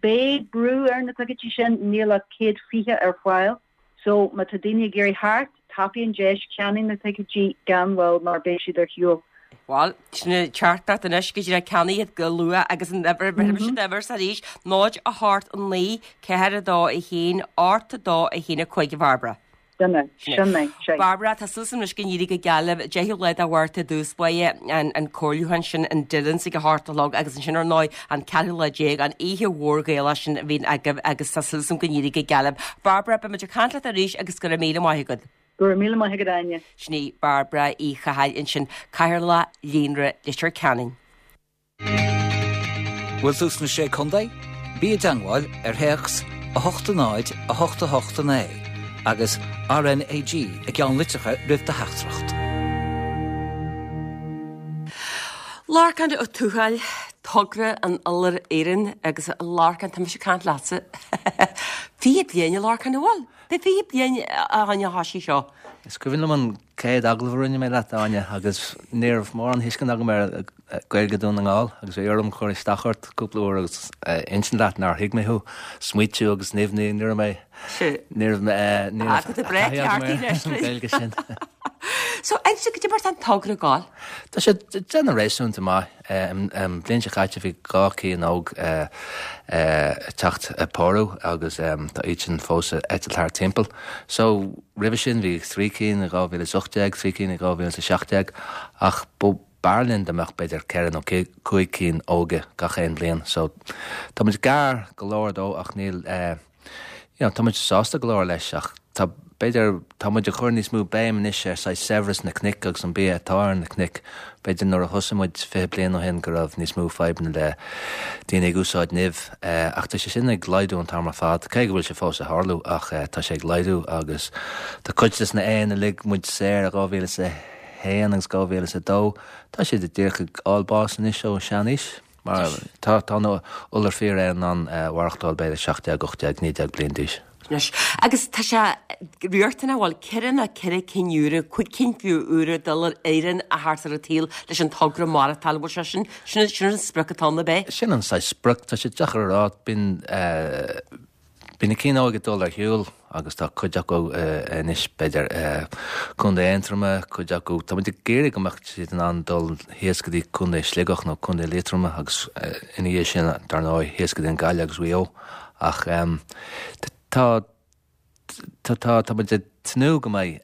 beidh brú ar na ticéidí sin, níl ach 120 ar fáil. So má tá daoine ag iarraidh theacht, tapaigh an deis, ceannaigh na ticéidí gan mhoill mar beidh siad ar shiúl. Bhuel, sin an teachtaireacht anois go dtí ceannaigh iad go luath agus an uimhir, bhí siad uimhir sa arís, 0, 8, 9, 4, 2, 1, 8, 2, 1, 5 a Bhairbre. Sin é, sin é, sea. Bairbre, tá súil agam anois go n-éirí go geal libh. 10ú lá de Mhárta i dtús báire, an comhairliúchán sin in Dillon's ag a hocht a chlog agus ansin ar ndóigh an ceathrú lá déag, an oíche mhór Ghaelach sin a bhíonn agaibh agus tá súil agam go n-éirí go geal libh. Bairbre, beidh muid ag caint leat arís agus go raibh míle maith agat. Go raibh míle maith agat, Áine. Sin í Bairbre Uí Chathail ansin, Cathaoirleach Líonra Leitir Ceanainn. Bhfuil tú sna Sé Contae? Bí i dteangmháil ar théacs 8 0 8 8 9 agus RnaG i gceannlitreacha roimh do theachtaireacht. Lorcán Ó Tuathail, Togra an Iolair Fhireann agus a Lorcáin, tá mise ag caint leatsa. 20 bliain a Lorcáin, an bhfuil? Beidh 20 bliain ó thoisigh seo. Is cuimhin liom an chéad agallamh a rinne mé leat, Áine, agus ní raibh mórán tuiscint agam ar Ghaeilge Dhún na nGall agus bhí orm cur isteach ort cúpla uair agus insint leat nár thuig mé thú. Smaoitiú agus nimhní, ní raibh mé, ní raibh mé, ní raibh taithí agam ar an Ghaeilge sin. So, inis cad é mar tá an togra ag gabháil? Tá sé ag déanamh réasúnta maith. An bhliain seo caite bhí 2 cinn óg ag teacht ag pórú agus tá iad sin fós ag eitilt thart timpeall. So, roimhe sin bhí 3 cinn i 2018, 3 cinn i 2017 ach b'fhearr linn dá mbeadh b'fhéidir ceithre nó cúig cinn óga gach aon bhliain so tá muid gar go leor dó ach níl eh you know tá muid sásta go leor leis ach tá b'fhéidir tá muid ag cur níos mó béim anois ar saghas saibhreas na cnoic agus an bia atá ar na cnoic. B'fhéidir nuair a thosaigh muid 20 bliain ó shin go raibh níos mó fadhbanna le daoine ag úsáid nimh eh ach tá sé sin ag laghdú an t-am ar fad cé go bhfuil sé fós ag tharlú ach eh tá sé ag laghdú agus tá cuid des na éin a lig muid saor i 2001 agus 2002. Tá siad díreach ag fháil bás anois ó seanaois mar tá tá an iolar fíréan in ann mhaireachtáil b'fhéidir 17, 18, 19 bliain d'aois. Anois, agus tá sé riachtanach, bhuel, ceithre nó ceithre cinn úra, cúig cinn fiú úra d'iolar fhireann a theacht ar an tsaol leis an togra maireachtáil, bhfuil sé sin, sin sin an sprioc atá ann, ab é? Sin an saghas sprioc, tá sé deacair a rá, bíonn eh, Bíonn na cinn óga ag dul ar shiúl agus tá cuid acu anois b'fhéidir i Contae Aontroma, cuid acu, tá muid ag iarraidh go mbeadh siad in ann dul thíos go dtí Contae Sligeach nó Contae Liatroma agus ina dhiaidh sin dar ndóigh thíos go dtí an Gaillimh agus Mhaigh Eo ach tá tá tá muid ag tnúth go mbeidh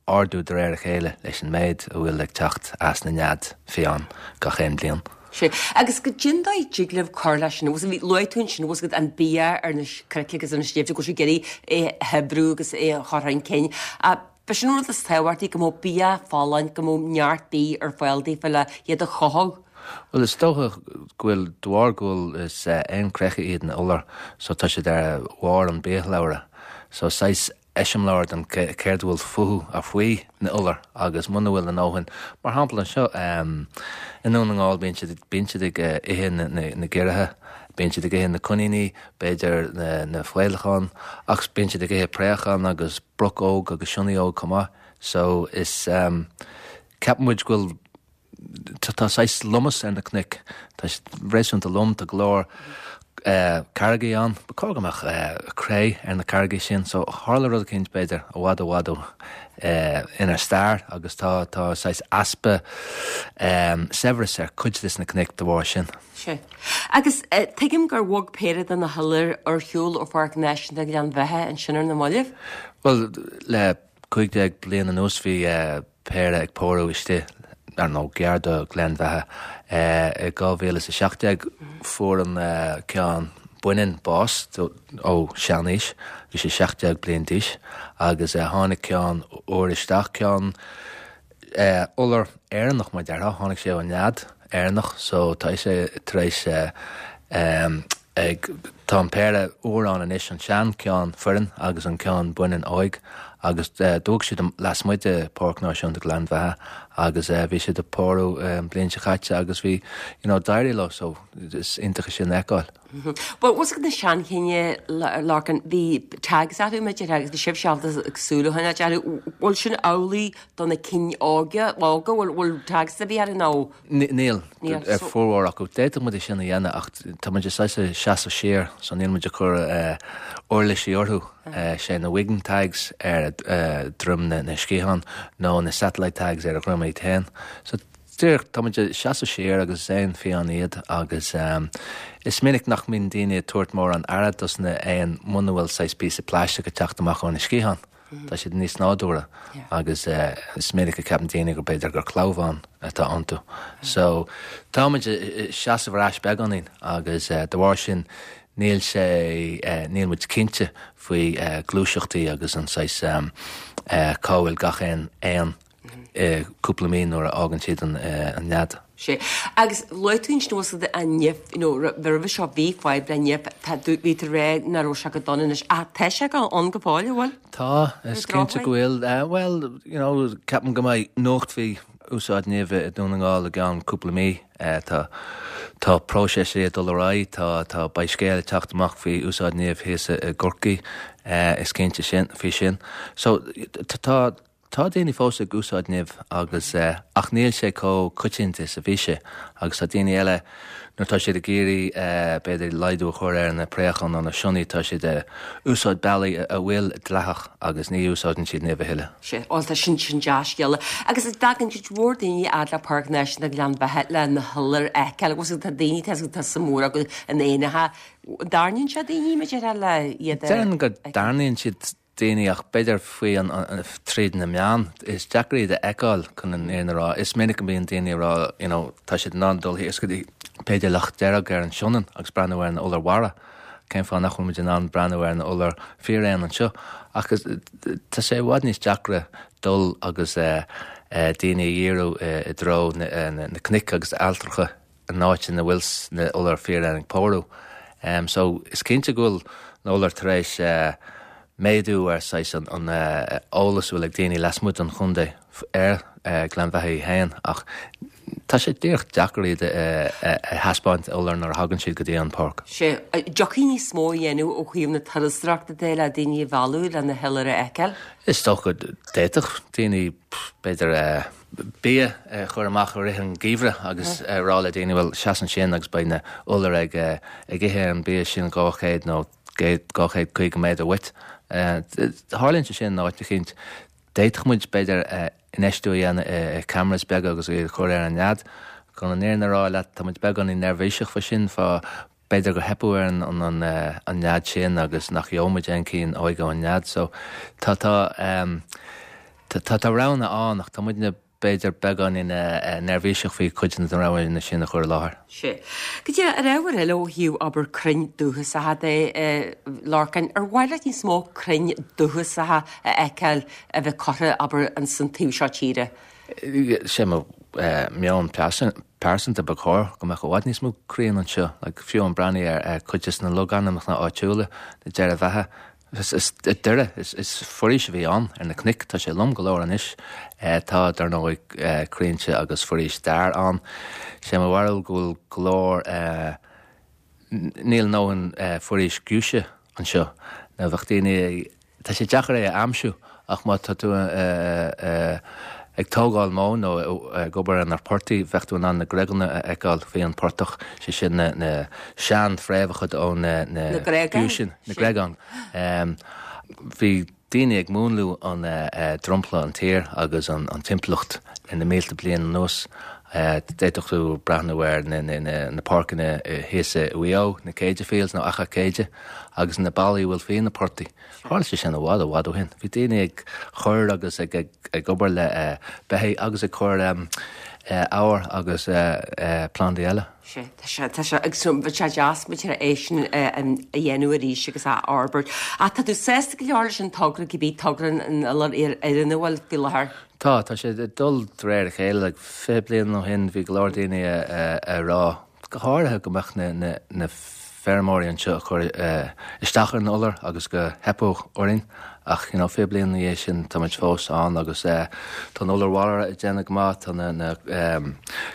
ardú de réir a chéile leis an méid a bhfuil ag teacht as na nead fiáin gach aon bhliain. Sea. Agus goidé an dóigh a dtig libh cur leis sin, bhí, luaigh tú ansin, bhfuil an bia ar na cnoic agus ar na sléibhte, go bhfuil sibh ag iarraidh é a shaibhriú agus é a chur chun cinn. B'é sin an rud is tábhachtaí, go mbeadh bia folláin, go mbeadh neart bídh ar fáil daofa le iad a chothú. Bhuel, is dócha go bhfuil, de bharr go bhfuil, is éin chreiche iad na iolair, so tá siad ar bharr an biashlabhra. So saghas eiseamláir den céard a bhfuil fúthu a faoi na iolair agus muna bhfuil a ndóthain, mar shampla anseo i nDún na nGall bíonn siad bíonn siad ag ithe na giorraithe, bíonn siad ag ithe na coiníní, b'fhéidir na faolacháin ach bíonn siad ag ithe préachán agus broc óg agus sionnaigh óg chomh maith so is ceapann muid go bhfuil Tá saghas lomas ar na cnoic. Tá siad réasúnta lom, tá go leor carraigí ann. Ba chóir go mbeadh cré ar na carraigí sin. So tharla rud eicínt b'fhéidir i bhfad i bhfad ó inár stair agus tá tá saghas easpa saibhreas ar cuid des na cnoic de bharr sin. Sea. Agus tuigim gur bhog péire de na hiolair ar shiúl ó Pháirc Náisiúnta Ghleann Bheatha ansin ar na mallaibh. Bhuel, le 15 bliain anuas bhí péire ag pórú istigh, ar ndóigh, gar do Ghleann Bheatha. I 2017 fuair an ceann baineann bás ó seanaois, bhí sé 17 bliain d'aois, agus tháinig ceann úr isteach, ceann iolar Éireannach mar déarfá, tháinig sé ó nead Éireannach so tá sé tar éis ag. Tá an péire úr ann anois, an sean ceann fireann agus an ceann baineann óig agus d'fhág siad lasmuigh de Páirc Náisiúnta Ghleann Bheatha agus bhí siad ag pórú an bhliain seo chaite agus bhí, you know, d'éirigh leo so is iontach é sin a fheiceáil. Bhuel, bhfuil a fhios agat na seanchinn, a Lorcáin, bhí tags orthu, b'fhéidir, agus bhí sibh ábalta súil a choinneáil orthu. Bhfuil sin amhlaidh do na cinn óga, óga, bhfuil, bhfuil tags a bhí orthu nó? Níl, ar formhór acu. D'fhéadfadh muid é sin a dhéanamh ach tá muid saghas ag seasamh siar so níl muid ag cur uirlisí orthu, sé na wing tags ar dhroim na sciathán nó na satellite tags ar a dhroim iad féin. So díreach tá muid ag seasamh siar agus is éin fiáin iad agus is minic nach mbíonn daoine ag tabhairt mórán aire dos na éin muna bhfuil saghas píosa plaisteach ag teacht amach óna sciathán. Tá siad níos nádúrtha agus is minic a ceapann daoine gur b'fhéidir gur clamhán atá iontu. So tá muid ag seasamh ar ais beagáinín agus de bharr sin níl sé, níl muid cinnte faoi gluaiseachtaí agus an saghas cá bhfuil gach aon éan cúpla mí nuair a fhágann siad an nead. Sea. Agus luaigh tú ansin bhfuil a fhios agat an nimh, you know, roimhe seo bhí fadhb le nimh, tá, bhí tú ag rá nach raibh sé go dona anois, ach tá sé go, ann go fóill, an bhfuil? Tá, is cinnte go bhfuil. Bhuel, you know, ceapaim go mbeidh nuacht faoi úsáid nimhe i nDún na nGall i gceann cúpla mí. Tá, tá próiseas ag dul ar aghaidh, tá, tá, beidh scéal ag teacht amach faoi úsáid nimh thíos i gCorcaigh, is cinnte sin, faoi sin. So, tá, Tá daoine fós ag úsáid nimh agus ach níl sé chomh coitianta is a bhí sé agus tá daoine eile nuair tá siad ag iarraidh b'fhéidir laghdú a chur ar na préacháin nó na sionnaigh tá siad ag úsáid bealaí a bhfuil dleathach agus ní úsáideann siad nimh a thuilleadh. Sea, bhuel tá sin, sin dea-scéala. Agus an dtagann cuid mhór daoine a fhad le Páirc Náisiúnta Ghleann Bheatha le na hiolair a fheiceáil agus tá daoine, tá tá suim mhór acu in éanacha. An dtarraingíonn sé daoine, b'fhéidir, le iad a. Déarfainn go dtarraingíonn siad daoine ach b'fhéidir faoi an, tríd na meáin, is deacair iad a fheiceáil chun an fhírinne a rá. Is minic a bhíonn daoine ag rá you know tá siad in ann dul thíos go dtí b'fhéidir Loch Dearg ar an Sionainn agus breathnú ar na iolair mhara. Cén fáth nach bhfuil muid in ann breathnú ar na iolair fíréan anseo? Ach tá sé i bhfad níos deacra dul agus daoine a dhíriú i dtreo na cnoic agus ailltreacha an áit ina bhfuil na iolair fíréan ag pórú. So is cinnte go bhfuil na iolair tar éis méadú ar saghas an eolas a bhfuil ag daoine lasmuigh den chontae ar Gleann Bheatha í féin ach tá sé díreach deacair iad a thaispeáint iolair nuair a thagann siad go dtí an páirc. Sea, dtiocfaí níos mó a dhéanamh ó thaobh na turasóireachta de le daoine a mhealladh le na hiolair a fheiceáil? Is dócha d'fhéadfadh daoine b'fhéidir bia a chur amach i rith an gheimhridh agus a rá le daoine, bhuel, seas ansin agus beidh na iolair ag ag ithe ar an bia sin 200 nó 250 méadar uait. Tarlaíonn sé sin in áit eicínt. D'fhéadfadh muid, b'fhéidir, infheistiú a dhéanamh i cameras beaga agus iad a chur ar an nead. Chun an fhírinne a rá leat, tá muid beagáinín neirbhíseach fá sin, fá B'fhéidir gur teipeadh ar an an nead sin agus nach gheobhaidh muid aon cinn óige ón nead. So tá tá tá tá roghanna ann ach tá muidne b'fhéidir beagáinín neirbhíseach faoi cuid de na roghanna sin a chur i láthair. Sea. Cad é ar ábhar eile ó thaobh abair crainn dúchasacha de, a Lorcáin, ar mhaith leat níos mó crainn dúchasacha a fheiceáil a bheith curtha abair ins an taobh seo tíre? Sé mo meon pearsanta, ba chóir go mbeadh i bhfad níos mó crainn anseo. Like, fiú amháin breathnaigh ar cuid de na logainmneacha áitiúla, na Doire Bheatha, is doire, is foraois a bhí ann ar na cnoic, tá sé lom go leor anois. Tá, dar ndóigh, crainnte agus foraois dair ann. Sé mo bharúil go bhfuil go leor Níl a ndóthain foraois giúise anseo. Nó bheadh daoine, tá sé deacair é a aimsiú ach má tá tú ag tógáil móin nó ag obair ar na portaigh bheadh tú in ann na greganna a fheiceáil faoi an portach, sé sin na sean-fhréamhacha ó na giúiseanna, na gregáin. Bhí. Daoine ag múnlú an dromchla, an tír agus an timpeallacht na mílte bliain anuas. D'fhéadfadh tú breathnú ar na páirceanna thíos i Mhaigh Eo, na Céide Fields nó Achadh Céide, agus na ballaí a bhfuil faoi na portaigh. Tharla sé sin i bhfad, i bhfad ó shin. Bhí daoine ag cur agus ag obair le beithígh agus ag cur eabhair agus plandaí eile. Sea, tá sé, tá sé, agus bheadh sé deas b'fhéidir é sin a dhéanamh arís agus a fhorbairt. Ach tá tú sásta go leor leis an togra, cibé togra an iolar fhireann a bhfuil faoi láthair? Tá, tá sé ag dul de réir a chéile. Like, 20 bliain ó shin bhí go leor daoine a rá, go háirithe go mbeadh na, na, na. feirmeoirí anseo a chur isteach ar an iolar agus go theipeadh orainn ach you know 20 bliain ina dhiaidh sin tá muid fós ann agus tá an iolar mhara ag déanamh go maith, tá na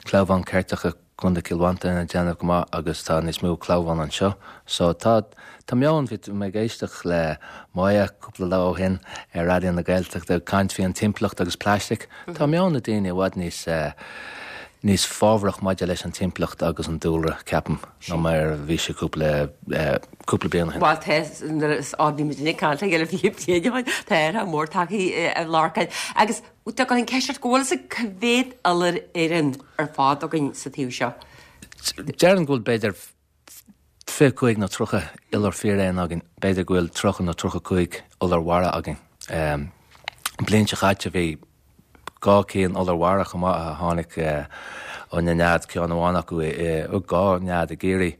clamháin ceirteacha Contae Chill Mhantáin ag déanamh go maith agus tá níos mó clamhán anseo. So tá tá meon, bhí mé ag éisteacht le Moya cúpla lá ó shin ar Raidió na Gaeltachta ag caint faoi an timpeallacht agus plaisteach. Tá meon na daoine i bhfad níos níos fábharach maidir leis an timpeallacht agus an dúlra, ceapaim, ná mar a bhí sé cúpla cúpla bliain ó shin. Bhuel tá, nuair is bhí muid ag caint le chéile 20 bliain ó shin, tá athrú mór tagtha a Lorcáin. Agus Tá an cheist ort go bhfuil fhios agat cá mhéad iolar fhireann ar fad againn sa taobh seo? Déarfainn go bhfuil b'fhéidir 25 nó 30 iolar fíréan againn, b'fhéidir go bhfuil 30 nó 35 iolar mhara againn. An bhliain seo caite bhí dhá cinn iolar mhara chomh maith a tháinig ó na nead, ceann amháin acu i, dhá nead i gCiarraí.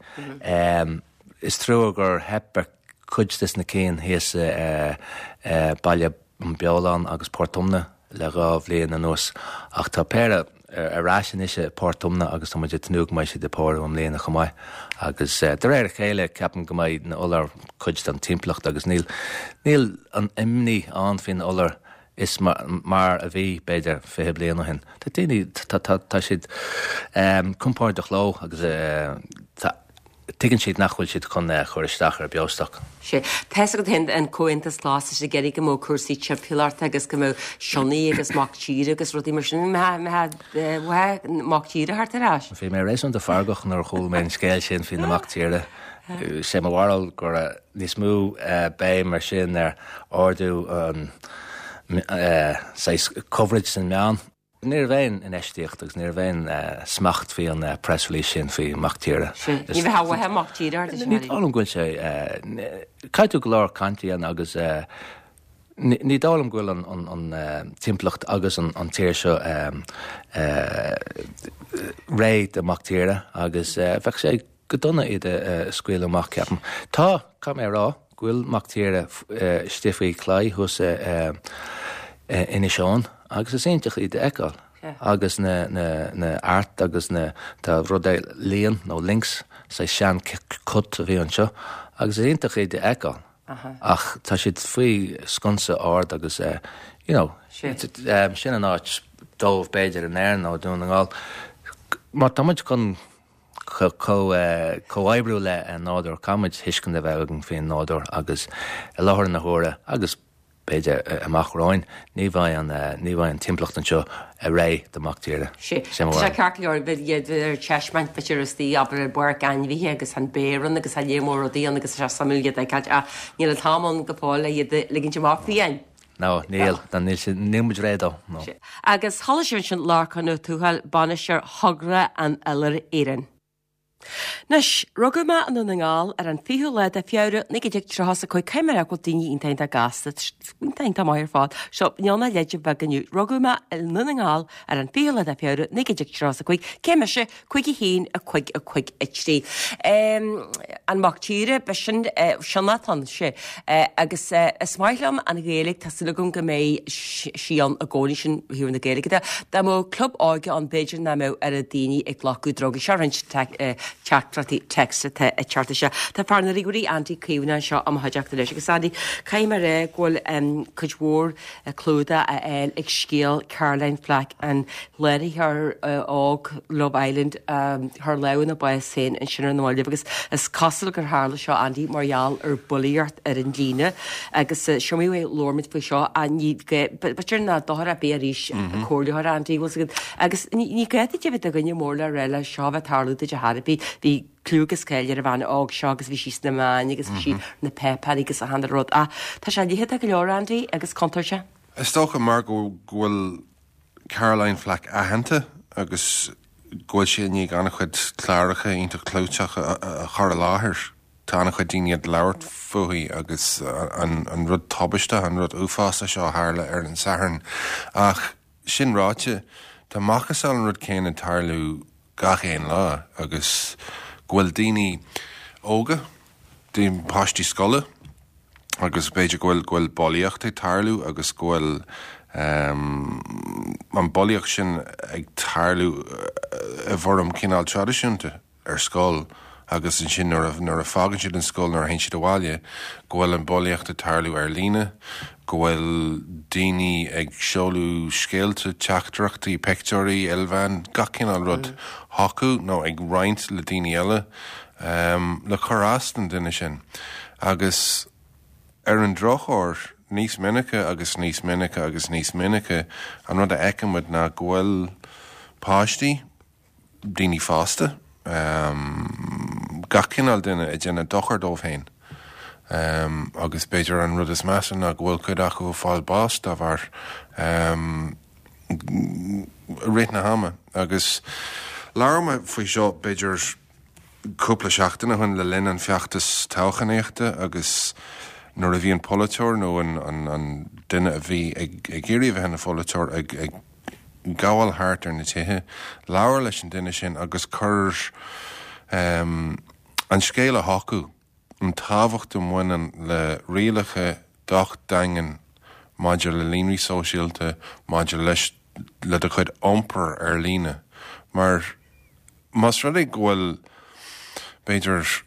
Is trua gur theip ar cuid des na cinn thíos i Baile an Bheoláin agus Port Omna le dhá bhliain anuas ach tá péire ar ais anois i Port Omna agus tá muid ag tnúth go mbeidh siad ag pórú i mbliana chomh maith agus de réir a chéile ceapaim go mbeidh na iolair cuid den timpeallacht agus níl níl an imní ann faoi na iolair is mar a bhí b'fhéidir 20 bliain ó shin. Tá daoine tá tá tá siad compordach leo agus tá Tuigeann siad nach bhfuil siad chun cur isteach ar beostoc. Sea. Tá fhios agat féin, an Comhaontas Glas, tá siad ag iarraidh go mbeadh cúrsaí timpeallachta agus go mbeadh sionnaigh agus mac tíre agus rudaí mar sin. Mbeadh mac tíre thart ar ais? Bhí mé réasúnta feargach nuair a chuala mé an scéal sin faoi na mac tíre. Sé mo bharúil go raibh níos mó béim mar sin ar ardú an saghas coverage san meán. Ní raibh aon infheistíocht agus ní raibh aon smacht faoi an press release sin faoi mac tíre. Ní bheadh uathu mac tíre ort, Ní dóigh liom go bhfuil sé, caithfidh tú go leor cainte a dhéanamh agus ní dóigh liom go bhfuil an timpeallacht agus an tír seo réidh do mac tíre agus bheadh sé go dona iad a scaoileadh amach, ceapaim. Tá, caithfidh mé a rá, go bhfuil mac tíre istigh faoi chlaí thuas i Inis Eoghain agus is iontach iad a fheiceáil. Agus na, na, na art agus na, tá rud é líon nó lynx, saghas sean cut a bhí anseo agus is iontach iad a fheiceáil. Ach tá siad faoi sconsa ard agus you know, sin an áit dóibh b'fhéidir in Éirinn nó i Dún na nGall. Má tá muid chun comhoibriú le an nádúr, caithfidh muid tuiscint a bheith againn faoin nádúr agus i láthair na huaire agus b'fhéidir amach romhainn, ní bheidh an, ní bheidh an timpeallacht anseo réidh do mhac tíre. Sea, tá sé ceart go leor, bheith iad ar taispeáint b'fhéidir istigh, abair i bpáirc ainmhithe agus an béar ann agus tá léar mór rudaí ann agus tá sé suimiúil iad a fheiceáilt ach níl an t-am ann go fóill le iad a ligint amach fiáin. No, níl, níl, níl muid réidh dó, no. Agus chuala sibh ansin Lorcán Ó Tuathail, bainisteoir Thogra an Iolair Fhireann. Anois, rugadh mé i nDún na nGall ar an 20ú lá de Feabhra 1935, caithfidh mé a rá go bhfuil daoine iontach iontach gasta, iontach iontach maith ar fad. So, níl mé leide bheag inniu. Rugadh mé i nDún na nGall ar an 20ú lá de Feabhra 1935, cé mise? 5 1 5 5 3. An mac tíre, b'shin sionnach ann, sea. Agus is maith liom an Ghaeilge, tá súil agam go mbeidh sí ann i gcónaí, sin ó thaobh na Gaeilge de. Dá mbeadh club óige ann, b'fhéidir nach mbeadh oiread daoine ag glacadh drugaí. Seo roinnt teachtaireachtaí text atá ag teacht isteach. Tá fear na ríomhairí Andy Caomhánach anseo i mo chuideachta anois. Agus Andy, caithfidh mé a rá go bhfuil cuid mhór clúdach á fháil ag scéal Caroline Flack, an láithreoir óg Love Island a chuir lámh ina bás féin ansin ar na mallaibh agus is cosúil gur tharla seo, Andy, mar gheall ar bhulaíocht ar an líne agus is iomaí uair a labhair muid faoi seo ach ní b'fhéidir nach dochar ar bith arís comhairleoir Andy, bhfuil 's agat agus ní gá duit a bheith i do dhuine mór le rá leis seo a bheith ag tarlú duit ar chor ar bith. Bhí clú agus cáil ar an bhean óg seo agus bhí sí sna meáin agus bhí sí na páipéirí agus achan rud ach tá sé leitheadach go leor Andy agus contúirteach. Is dócha mar go bhfuil Caroline Flack aitheanta agus go bhfuil sí i ndiaidh an-chuid cláracha iontach clúiteach a chur i láthair, tá an-chuid daoine ag labhairt fúithi agus an rud tubaisteach, an rud uafásach seo a tharla ar an Satharn. Ach sin ráite, tá macasamhail an rud céanna ag tarlú gach aon lá agus go bhfuil daoine óga, daoine, páistí scoile agus b'fhéidir go bhfuil, go bhfuil bulaíocht ag tarlú agus go bhfuil an bulaíocht sin ag tarlú i bhfoirm cineál traidisiúnta ar scoil. agus ansin nuair a, nuair a fágann siad an scoil, nuair a théann siad abhaile, go bhfuil an bulaíocht ag tarlú ar líne, go bhfuil daoine ag seoladh scéalta, teachtaireachtaí, pictiúirí, ilmheán, gach cineál rud chucu nó ag roinnt le daoine eile le cur as don duine sin. Agus ar an drochuair, níos minice agus níos minice agus níos minice, an rud a fheiceann muid ná go bhfuil páistí, daoine fásta, gach cineál duine ag déanamh dochar dóibh féin agus b'fhéidir an rud is measa ná go bhfuil cuid acu ag fáil bás dá bharr i rith na hama. Agus labhair mé faoi seo b'fhéidir cúpla seachtain ó shin le linn an feachtas toghchánaíochta agus nuair a bhí an polaiteoir nó an duine a bhí ag iarraidh a bheith ina pholaiteoir ag gabháil thart ar na tithe, labhair leis an duine sin agus cuir an scéal chucu, an tábhacht a bhaineann le rialacha docht daingean maidir le líonraí sóisialta, maidir leis le do chuid iompair ar líne. Mar más rud é go bhfuil, b'fhéidir,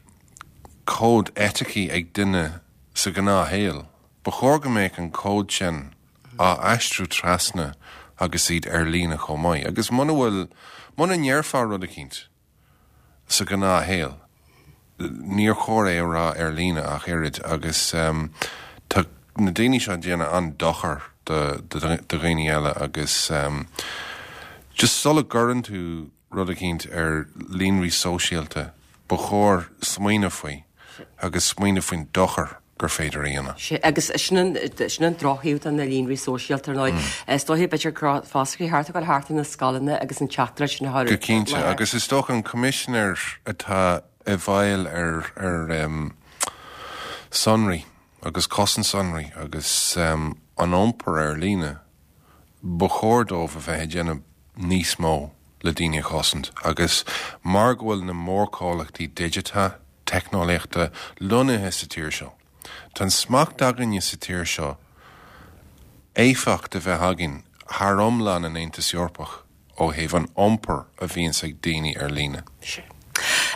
cód eiticí ag duine sa ghnáthshaol, ba chóir go mbeadh an cód sin á aistriú trasna agus iad ar líne chomh maith. Agus muna bhfuil, muna ndéarfá rud eicínt sa ghnáthshaol, níor chóir é a rá ar líne ach oiread. Agus tá na daoine seo ag déanamh an-dochar do dhaoine eile agus just sula gcuireann tú rud eicínt ar líonraí sóisialta, ba chóir smaoineamh faoi agus smaoineamh faoin dochar gur féidir a dhéanamh. Sea, agus sin an, sin an drochthaobh de na líonraí sóisialta, ar ndóigh. Is dóiche, b'fhéidir go raibh foscraí thart ag dul thart ar na scoileanna agus an teachtaireacht sin a chur Go cinnte, agus is dócha an coimisinéir atá i bhfeighil ar, ar sonraí agus cosaint sonraí agus an iompar ar líne, ba chóir dóibh a bheith ag déanamh níos mó le daoine a chosaint agus mar go bhfuil na mórchomhlachtaí digiteacha teicneolaíochta lonnaithe sa tír seo, tá an smacht againne sa tír seo éifeacht a bheith againn thar iomlán an Aontas Eorpach. ó thaobh an iompair a bhíonns ag daoine ar líne. Sea.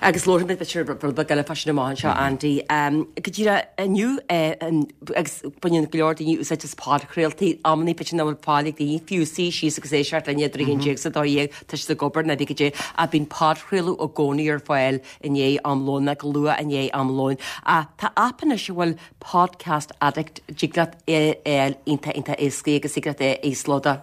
Agus labharfaidh muid b'fhéidir rud beag eile fá sin amach anseo, Andy. Go díreach inniu, agus baineann go leor daoine úsáid as podchraoltaí, amannaí b'fhéidir nach bhfuil fáil ag daoine fiú suí síos agus éisteacht linn idir 11 is 12, tá siad ag obair nó cibé caidé, ach bíonn podchraoladh i gcónaí ar fáil i ndiaidh am lóin, nó go luath i ndiaidh am lóin. Ach tá aip anois a bhfuil Podcast Addict, dtig leat é a fháil iontach iontach éascaí agus thig leat é a íoslódáil.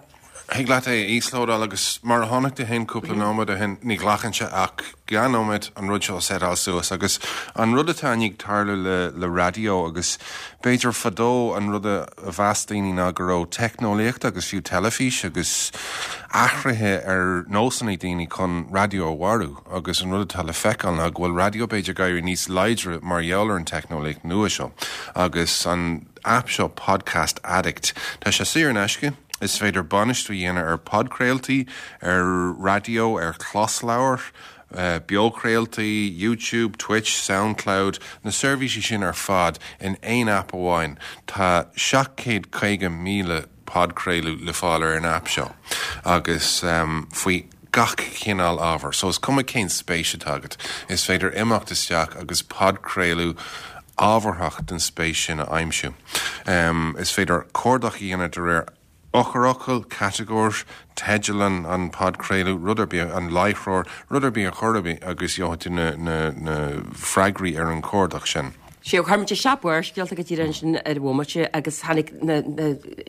Thig leat é a íoslódáil agus mar a chonaic tú féin cúpla nóiméad ó shin, ní ghlacann sé ach 2 nóiméad an rud seo a seiteáil suas agus an rud atá i ndiaidh tarlú le le raidió agus b'fhéidir fadó an rud a mheas daoine ná go raibh teicneolaíocht agus fiú teilifís agus athruithe ar nósanna daoine chun raidió a mharú agus an rud atá le feiceáil ná go bhfuil raidió b'fhéidir ag éirí níos láidre mar gheall ar an teicneolaíocht nua seo agus an aip seo Podcast Addict. Tá sé saor in aisce, is féidir bainistiú a dhéanamh ar podchraoltaí, ar raidió, ar chlosleabhair, beochraoltaí, YouTube, Twitch, Soundcloud, na seirbhísí sin ar fad in aon aip amháin. Tá 750,000 podchraoladh le fáil ar an aip seo agus faoi gach cineál ábhair. So is cuma cén spéis atá agat, is féidir imeacht isteach agus podchraoladh ábharthach den spéis sin a aimsiú. Is féidir cuardach a dhéanamh de réir eochairfhocail, catagóir, teideal an podchraoladh, rud ar bith, an láithreoir, rud ar bith ar chor ar bith agus gheobhaidh tú na freagraí ar an chuardach sin. Sea, chuir muid isteach Barrscéalta go díreach ansin ar bhomaite agus tháinig na,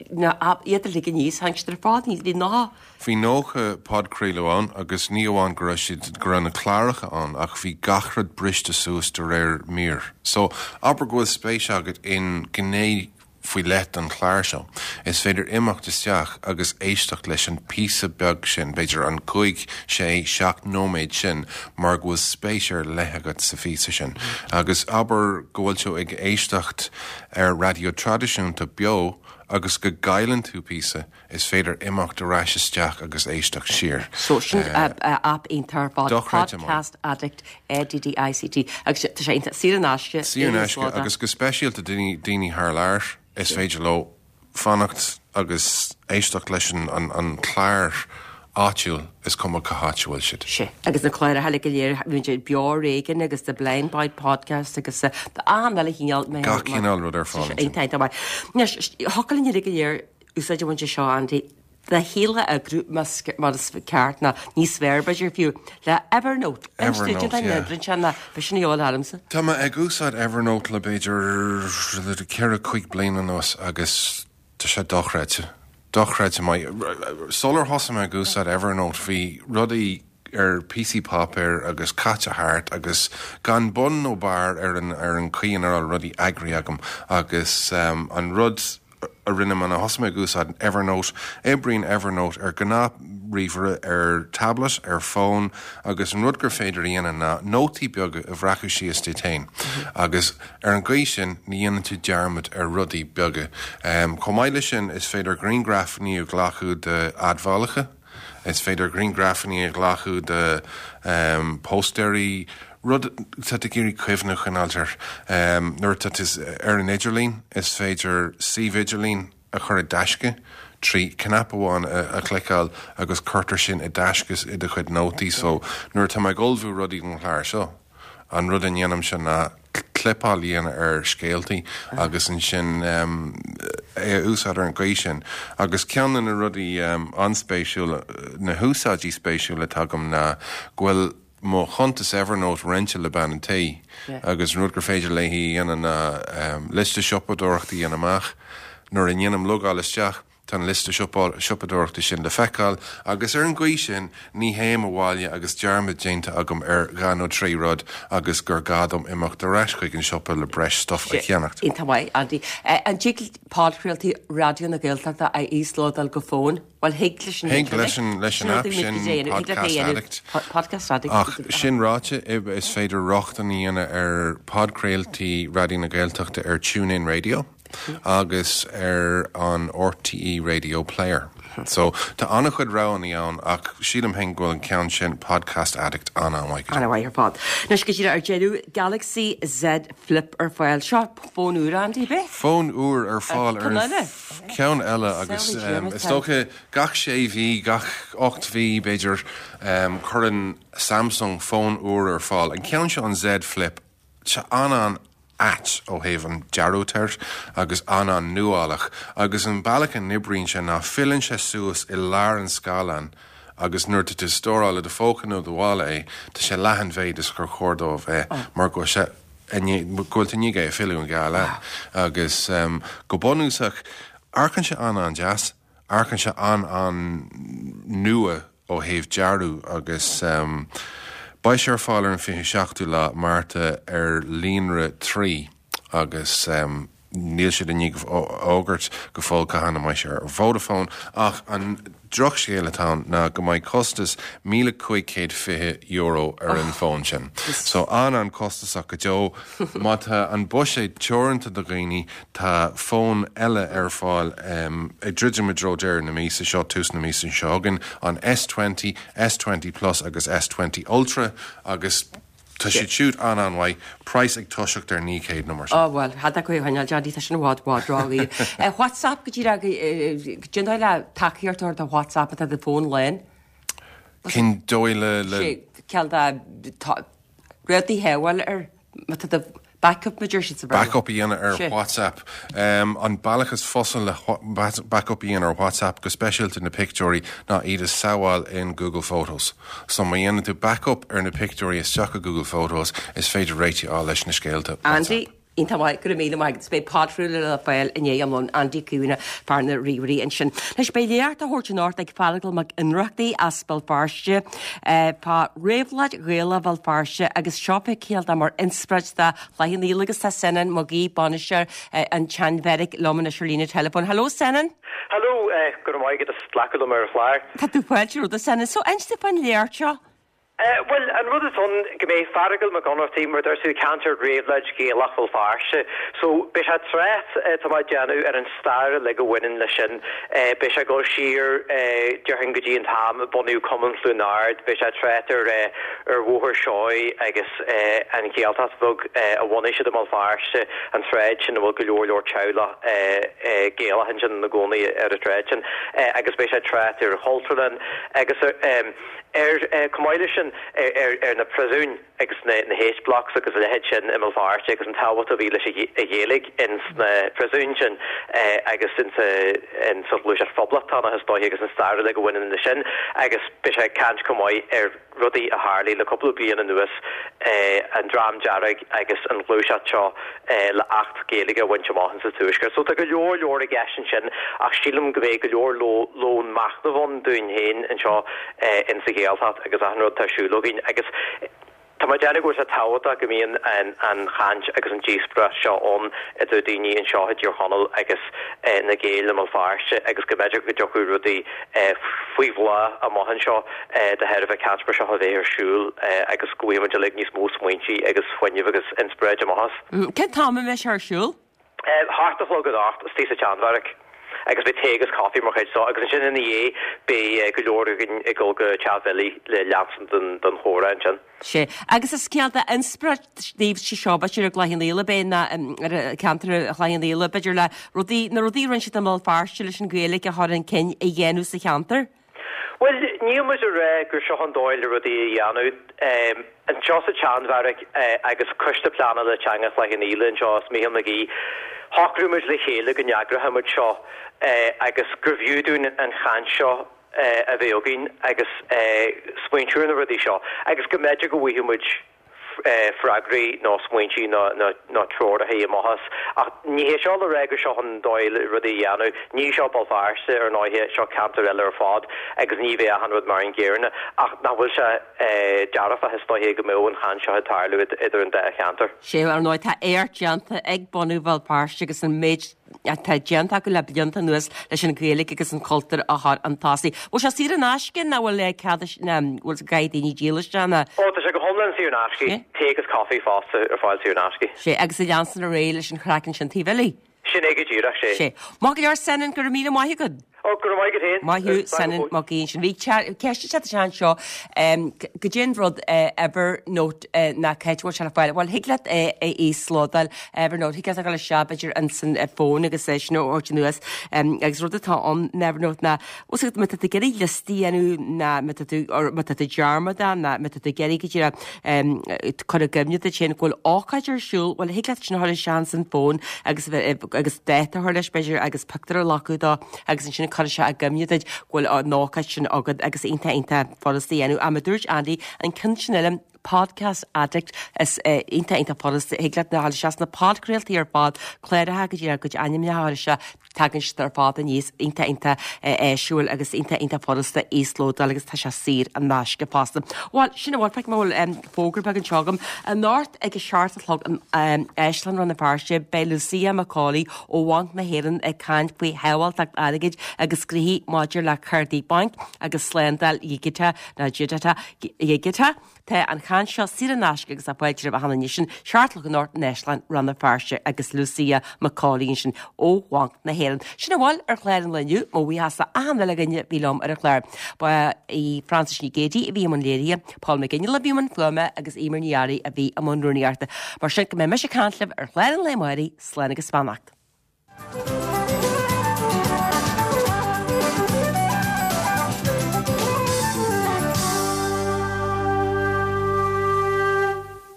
na, iad uilig aníos, tháinig siad ar fad, bhí 90. Bhí 90 podchraoladh ann agus ní amháin go raibh siad, go raibh na cláracha ann ach bhí gach rud briste suas de réir mír. So, abair go bhfuil spéis agat in gné faoi leith den chlár seo, is féidir imeacht isteach agus éisteacht leis an píosa beag sin, b'fhéidir an cúig, sé, seacht nóiméad sin mar go bhfuil spéis ar leith agat sa phíosa sin. Agus abair go bhfuil tú ag éisteacht ar raidió traidisiúnta beo agus go gcailleann tú píosa, Is féidir imeacht ar ais isteach agus éisteacht siar. So sin aip iontach ar fad, Podcast Addict, A-D-D-I-C-T, agus tá sé iontach saor in aisce. Saor in aisce agus go speisialta daoine thar lear, is féidir leo fanacht agus éisteacht leis an chlár. áitiúil, is cuma cá háit a bhfuil siad. Sea, agus na cláracha eile go léir, bíonn siad beo ar éigean agus The Blind Boy Podcast agus tá achan uile chineál. Gach cineál rud ar fáil ansin. Iontach, iontach maith. Anois, thiocfadh linn uilig go léir úsáid a bhaint as seo, Andy, do shaol a eagrú mar is ceart, nó níos fearr b'fhéidir fiú, le Evernote. Evernote, yeah. Bhí sin a dhíobháil ormsa. Tá mé ag úsáid Evernote le b'fhéidir ceithre, cúig bliana anuas agus Tá sé dochreidte. Dochreidte maith. Sular thosaigh mé ag úsáid Evernote bhí rudaí ar píosaí páipéir agus caite thart agus gan bun nó barr ar an ar an chaoi ina raibh rudaí eagraithe agam agus an rud a rinne mé ná thosaigh mé ag úsáid Evernote. Oibríonn Evernote ar gnáth ríomhaire, ar tablet, ar fón agus an rud gur féidir a dhéanamh ná nótaí beaga a bhreacadh síos duit féin agus Ar an gcaoi sin, ní dhéanann tú dearmad ar rudaí beaga. Chomh maith leis sin, is féidir grianghrafanna a ghlacadh d'admhálacha, is féidir grianghrafanna a ghlacadh de póstaeirí, rud atá tú ag iarraidh cuimhne a choinneáilt air. Nuair atá tú ar an idirlíon, is féidir suíomh idirlín a chur i dtaisce trí chnap amháin a chliceáil agus cuirtear sin i dtaisce i do chuid nótaí. So, nuair atá mé ag ullmhú rudaí don chlár seo, an rud a ndéanaimse ná clipeáil a dhéanamh ar scéaltaí agus ansin é a úsáid ar an gcaoi sin. Agus ceann de na rudaí an-spéisiúla, na húsáidí spéisiúla atá agam ná go bhfuil mo chuntas Evernote roinnte le bean an tí agus an rud gur féidir léi a dhéanamh ná liosta siopadóireachta a dhéanamh amach. Nuair a ndéanaim logáil isteach, tá an liosta siopadóireachta sin le feiceáil agus ar an gcaoi sin ní théim abhaile agus dearmad déanta agam ar dhá nó trí rud agus gur gá dom imeacht ar ais chuig an siopa le breis stuif a cheannacht. Iontach maith, Andy. An dtig podchraoltaí Raidió na Gaeltachta a íoslódáil go fón? Bhuel, thig leis an Thig leis an leis an app sin, Podcast Addict. Podcast Addict. Ach sin ráite, is féidir rochtain a dhéanamh ar podchraoltaí Raidió na Gaeltachta ar TuneIn Radio agus ar an RTÉ Radio Player. So, tá an-chuid roghanna ann ach sílim féin go bhfuil an ceann sin, Podcast Addict, an-an-mhaith. An-mhaith ar fad. Anois go díreach ar deireadh, Galaxy Z Flip ar fáil. Seo fón úr, Andy, ab ea? Fón úr ar fáil ar an. Ceann eile agus is dócha gach sé mhí, gach 8 mhí b'fhéidir, cuireann Samsung fón úr ar fáil. An ceann seo an Z Flip, tá sé an-an-ait ó thaobh an dearadh air agus an-an-nuálach agus an bealach a n-oibríonn sé ná filleann sé suas i lár an scáileáin agus nuair atá tú ag stóráil i do phóca nó do mhála é, tá sé leath an mhéid is gur chóir dó a bheith mar go bhfuil sé go bhfuil tú i ndiaidh é a fhilleadh an dhá leath agus go bunúsach amharcann sé an-an-deas, amharcann sé an-an-nua ó thaobh dearadh agus beidh sé ar fáil ar an 27ú lá Márta ar líonra Three agus Níl siad i ndiaidh a fhógairt go fóill cathain a mbeidh sé ar Vodafone ach an drochscéal atá ann ná go mbeidh costas €1,520 ar an bhfón sin. So an-an-chostasach go deo. Má tá an buiséad teoranta do dhaoine tá fón eile ar fáil ag druidim i dtreo deireadh na míosa seo, tús na míosa seo chugainn, an S20, S20 Plus agus S20 Ultra agus Tá siad siúd an-an-mhaith, praghas ag toiseacht ar 900 nó mar sin. Ó bhuel, cad é caoi a choinneáil, Johnny, tá sin i bhfad, bhfad ródhaor. WhatsApp go díreach, cén dóigh le tacaíocht a thabhairt do WhatsApp má tá do fón lán. Cén dóigh le, le. Sé, ceal de, tá, rudaí a shábháil ar, má tá do Backup mar a deir siad sa Bhéarla. Backup a dhéanamh ar WhatsApp. An bealach is fusa le backup a dhéanamh ar WhatsApp, go speisialta na pictiúirí, ná iad a shabháil in Google Photos. So má dhéanann tú backup ar na pictiúirí isteach i Google Photos, is féidir réitigh a fháil leis na scéalta WhatsApp. Andy, Iontach maith, go raibh míle maith agat. Beidh podchraoladh le fáil i ndiaidh am lóin. Andy Caomhánach, fear na ríomhairí ansin. Anois beidh léacht á thabhairt anocht ag Feargal Mac Ionnrachtaigh as Béal Feirste fá réabhlóid Ghaelach Bhéal Feirste agus seo fé cineál de mar inspioráid do Chloich Cheann Fhaola agus tá Senan Mag Aoidh, bainisteoir an tSeanbheairic liom anois ar líne teileafóin. Hello Senan! Hello, go raibh maith agat as glacadh liom ar an chlár. Tá tú fáilte romhat a Senan. So inis dúinn fán léacht seo. Bhuel, an rud atá ann, go mbeidh Feargal Mac Ionnrachtaigh, mar a dúirt tú, ag caint ar réabhlóid Ghaelach Bhéal Feirste. So, beidh sé ag trácht, tá mé ag déanamh, ar an stair uilig a bhaineann leis sin. Beidh sé ag dul siar, déarfainn, go dtí an t-am a bunaíodh Cumann Chluain Ard, beidh sé ag trácht ar ar Bhóthar Seoighe agus an Ghaeltacht bheag a bhunaigh siad i mBéal Feirste, an tsráid sin a bhfuil go leor leor teaghlach Gaelach ansin ina gcónaí ar an tsráid sin. Agus beidh sé ag trácht ar an Chultúrlann agus ar. Ar, chomh maith leis sin, ar na príosúin agus na H-Blocks agus a leithéid sin i mBéal Feirste agus an tábhacht a bhí leis an Ghaeilge ins na príosúin sin agus ins sa ghluaiseacht phoblachtánach is dóiche agus an stair uilig a bhaineann leis sin agus beidh sé ag caint chomh maith ar rudaí a tharlaigh le cúpla bliain anuas, an Dream Dearg agus an ghluaiseacht seo le Acht Gaeilge a bhaint amach insa Tuaisceart. So tá go leor leor i gceist ansin ach sílim go mbeidh go leor lón machnaimh ann dúinn féin anseo insa Ghaeltacht agus achan rud atá ar siúl againn agus tá mé ag déanamh go bhfuil sé tábhachtach go mbíonn an chaint agus an díospóireacht seo ann idir daoine anseo i dTír Chonaill agus na Gaeil i mBéal Feirste agus go mb'fhéidir go dtiocfadh rudaí faoi bhláth amach anseo de thairbhe caint mar seo a bheith ar siúl agus go bhfaighidh muid uilig níos mó smaointe agus fuinneamh agus inspioráid amach as. Cén t-am a mbeidh sé ar siúl? Hocht a chlog anocht, istigh sa tSeanbheairic agus beidh tae agus caife mar chuid dó agus ansin ina dhiaidh beidh go leor againn ag dul go Teach Bhilly le leanstan den chomhrá ansin. Sea. Agus is cineál de inspioráid daoibhse seo, b'fhéidir i gCloich Cheann Fhaola, b'é ná ar cheantar Chloich Cheann Fhaola, b'fhéidir le rudaí, na rudaí a rinne siad i mBéal Feirste leis an Ghaeilge a chur chun cinn a dhéanamh sa cheantar. Bhuel, níl muid ag rá gur seo an dóigh le rudaí a dhéanamh. Anseo sa tSeanbheairic agus Coiste Pleanála Teanga Chloich Cheann Fhaola anseo is Mícheál Mac Aoidh, shocraigh muid le chéile go n-eagródh muid seo agus gurbh fhiú dúinn an chaint seo a bheith againn agus smaointiú ar na rudaí seo agus go mb'fhéidir go bhfaighidh muid freagraí nó smaointí nó treoracha amach as. Ach ní hé seo le rá gur seo an dóigh le rudaí a dhéanamh. Ní seo Béal Feirste, ar ndóighe, seo ceantar eile ar fad agus ní bheidh achan rud mar an gcéanna. Ach nach bhfuil sé dearfach is dóiche go mbeadh an chaint seo ag tarlú idir an dá cheantar. Sea, ar ndóigh tá éacht déanta ag bunú Bhéal Feirste agus an méid atá déanta acu le blianta anuas leis an Ghaeilge agus an cultúr a chur chun tosaigh. Bhfuil sé saor in aisce nó bhfuil cead nó bhfuil caithfidh daoine díol isteach nó? Ó, tá sé go hiomlán saor in aisce. Tae agus caife fosta ar fáil saor in aisce. Sea, agus ag leanstan ar aghaidh leis an chraic ansin taobh eile. Sin é go díreach, sea. Sea. Maith go leor, Senan, go raibh míle maith agat. Ó, go raibh maith agat féin. Maith thú, Senan Mac Aoidh ansin. Bhí ceist ag teacht isteach anseo, goidé an rud Evernote ná cá háit a bhfuil sé le fáil. Bhuel, thig leat é a íoslódáil, Evernote, thig leat a dhul isteach b'fhéidir ins an fón agus é sin a thabhairt anuas. Agus rud atá ann in Evernote ná, bhfuil fhios agat, má tá tú ag iarraidh liostaí a dhéanamh ná má tá tú, or má tá tú dearmadta ná má tá tú ag iarraidh go díreach cur i gcuimhne duit féin go bhfuil ócáid ar siúl, bhuel, thig leat sin a chur isteach ins an fón agus agus dáta a chur leis b'fhéidir agus pictiúr a ghlacadh dó agus ansin cuirfidh sé i gcuimhne duit go bhfuil an ócáid sin agat agus iontach iontach furasta a dhéanamh. Ach mar a dúirt Andy, an ceann sin eile, Podcast Addict, is iontach iontach furasta, thig leat a dhul isteach sna podchraoltaí ar fad, cláracha go dtí a gcuid ainmneacha a chur isteach, tagann siad ar fad aníos, iontach iontach áisiúil agus iontach iontach furasta íoslódáil agus tá sé saor in aisce fosta. Bhuel, sin a bhfuil, feicim go bhfuil fógra beag anseo agam. Anocht ag a seacht a chlog in Áislann Rann na Feirste, beidh Lucia McCauley ó Bhanc na hÉireann ag caint faoi shábháilteacht airgid agus gnoithí maidir le cártaí bainc agus slándáil dhigiteach nó dhigiteach. Tá an chaint seo saor in aisce agus tá fáilte roimh achan duine. Sin seacht a chlog anocht in Áislann Rann na Feirste agus Lucia McCauley ansin ó Bhanc na hÉireann. Sin a bhfuil ar chlár an lae inniu, mo bhuíochas d'achan uile dhuine a bhí liom ar an chlár. Ba í Frances Ní Géadaigh a bhí i mbun léirithe, Paul McGinley a bhí i mbun fuaime agus Eimear Ní Fhearraigh a bhí i mbun rúnaíochta. Mar sin go mbeidh mise ag caint libh ar chlár an lae amárach, slán agus beannacht.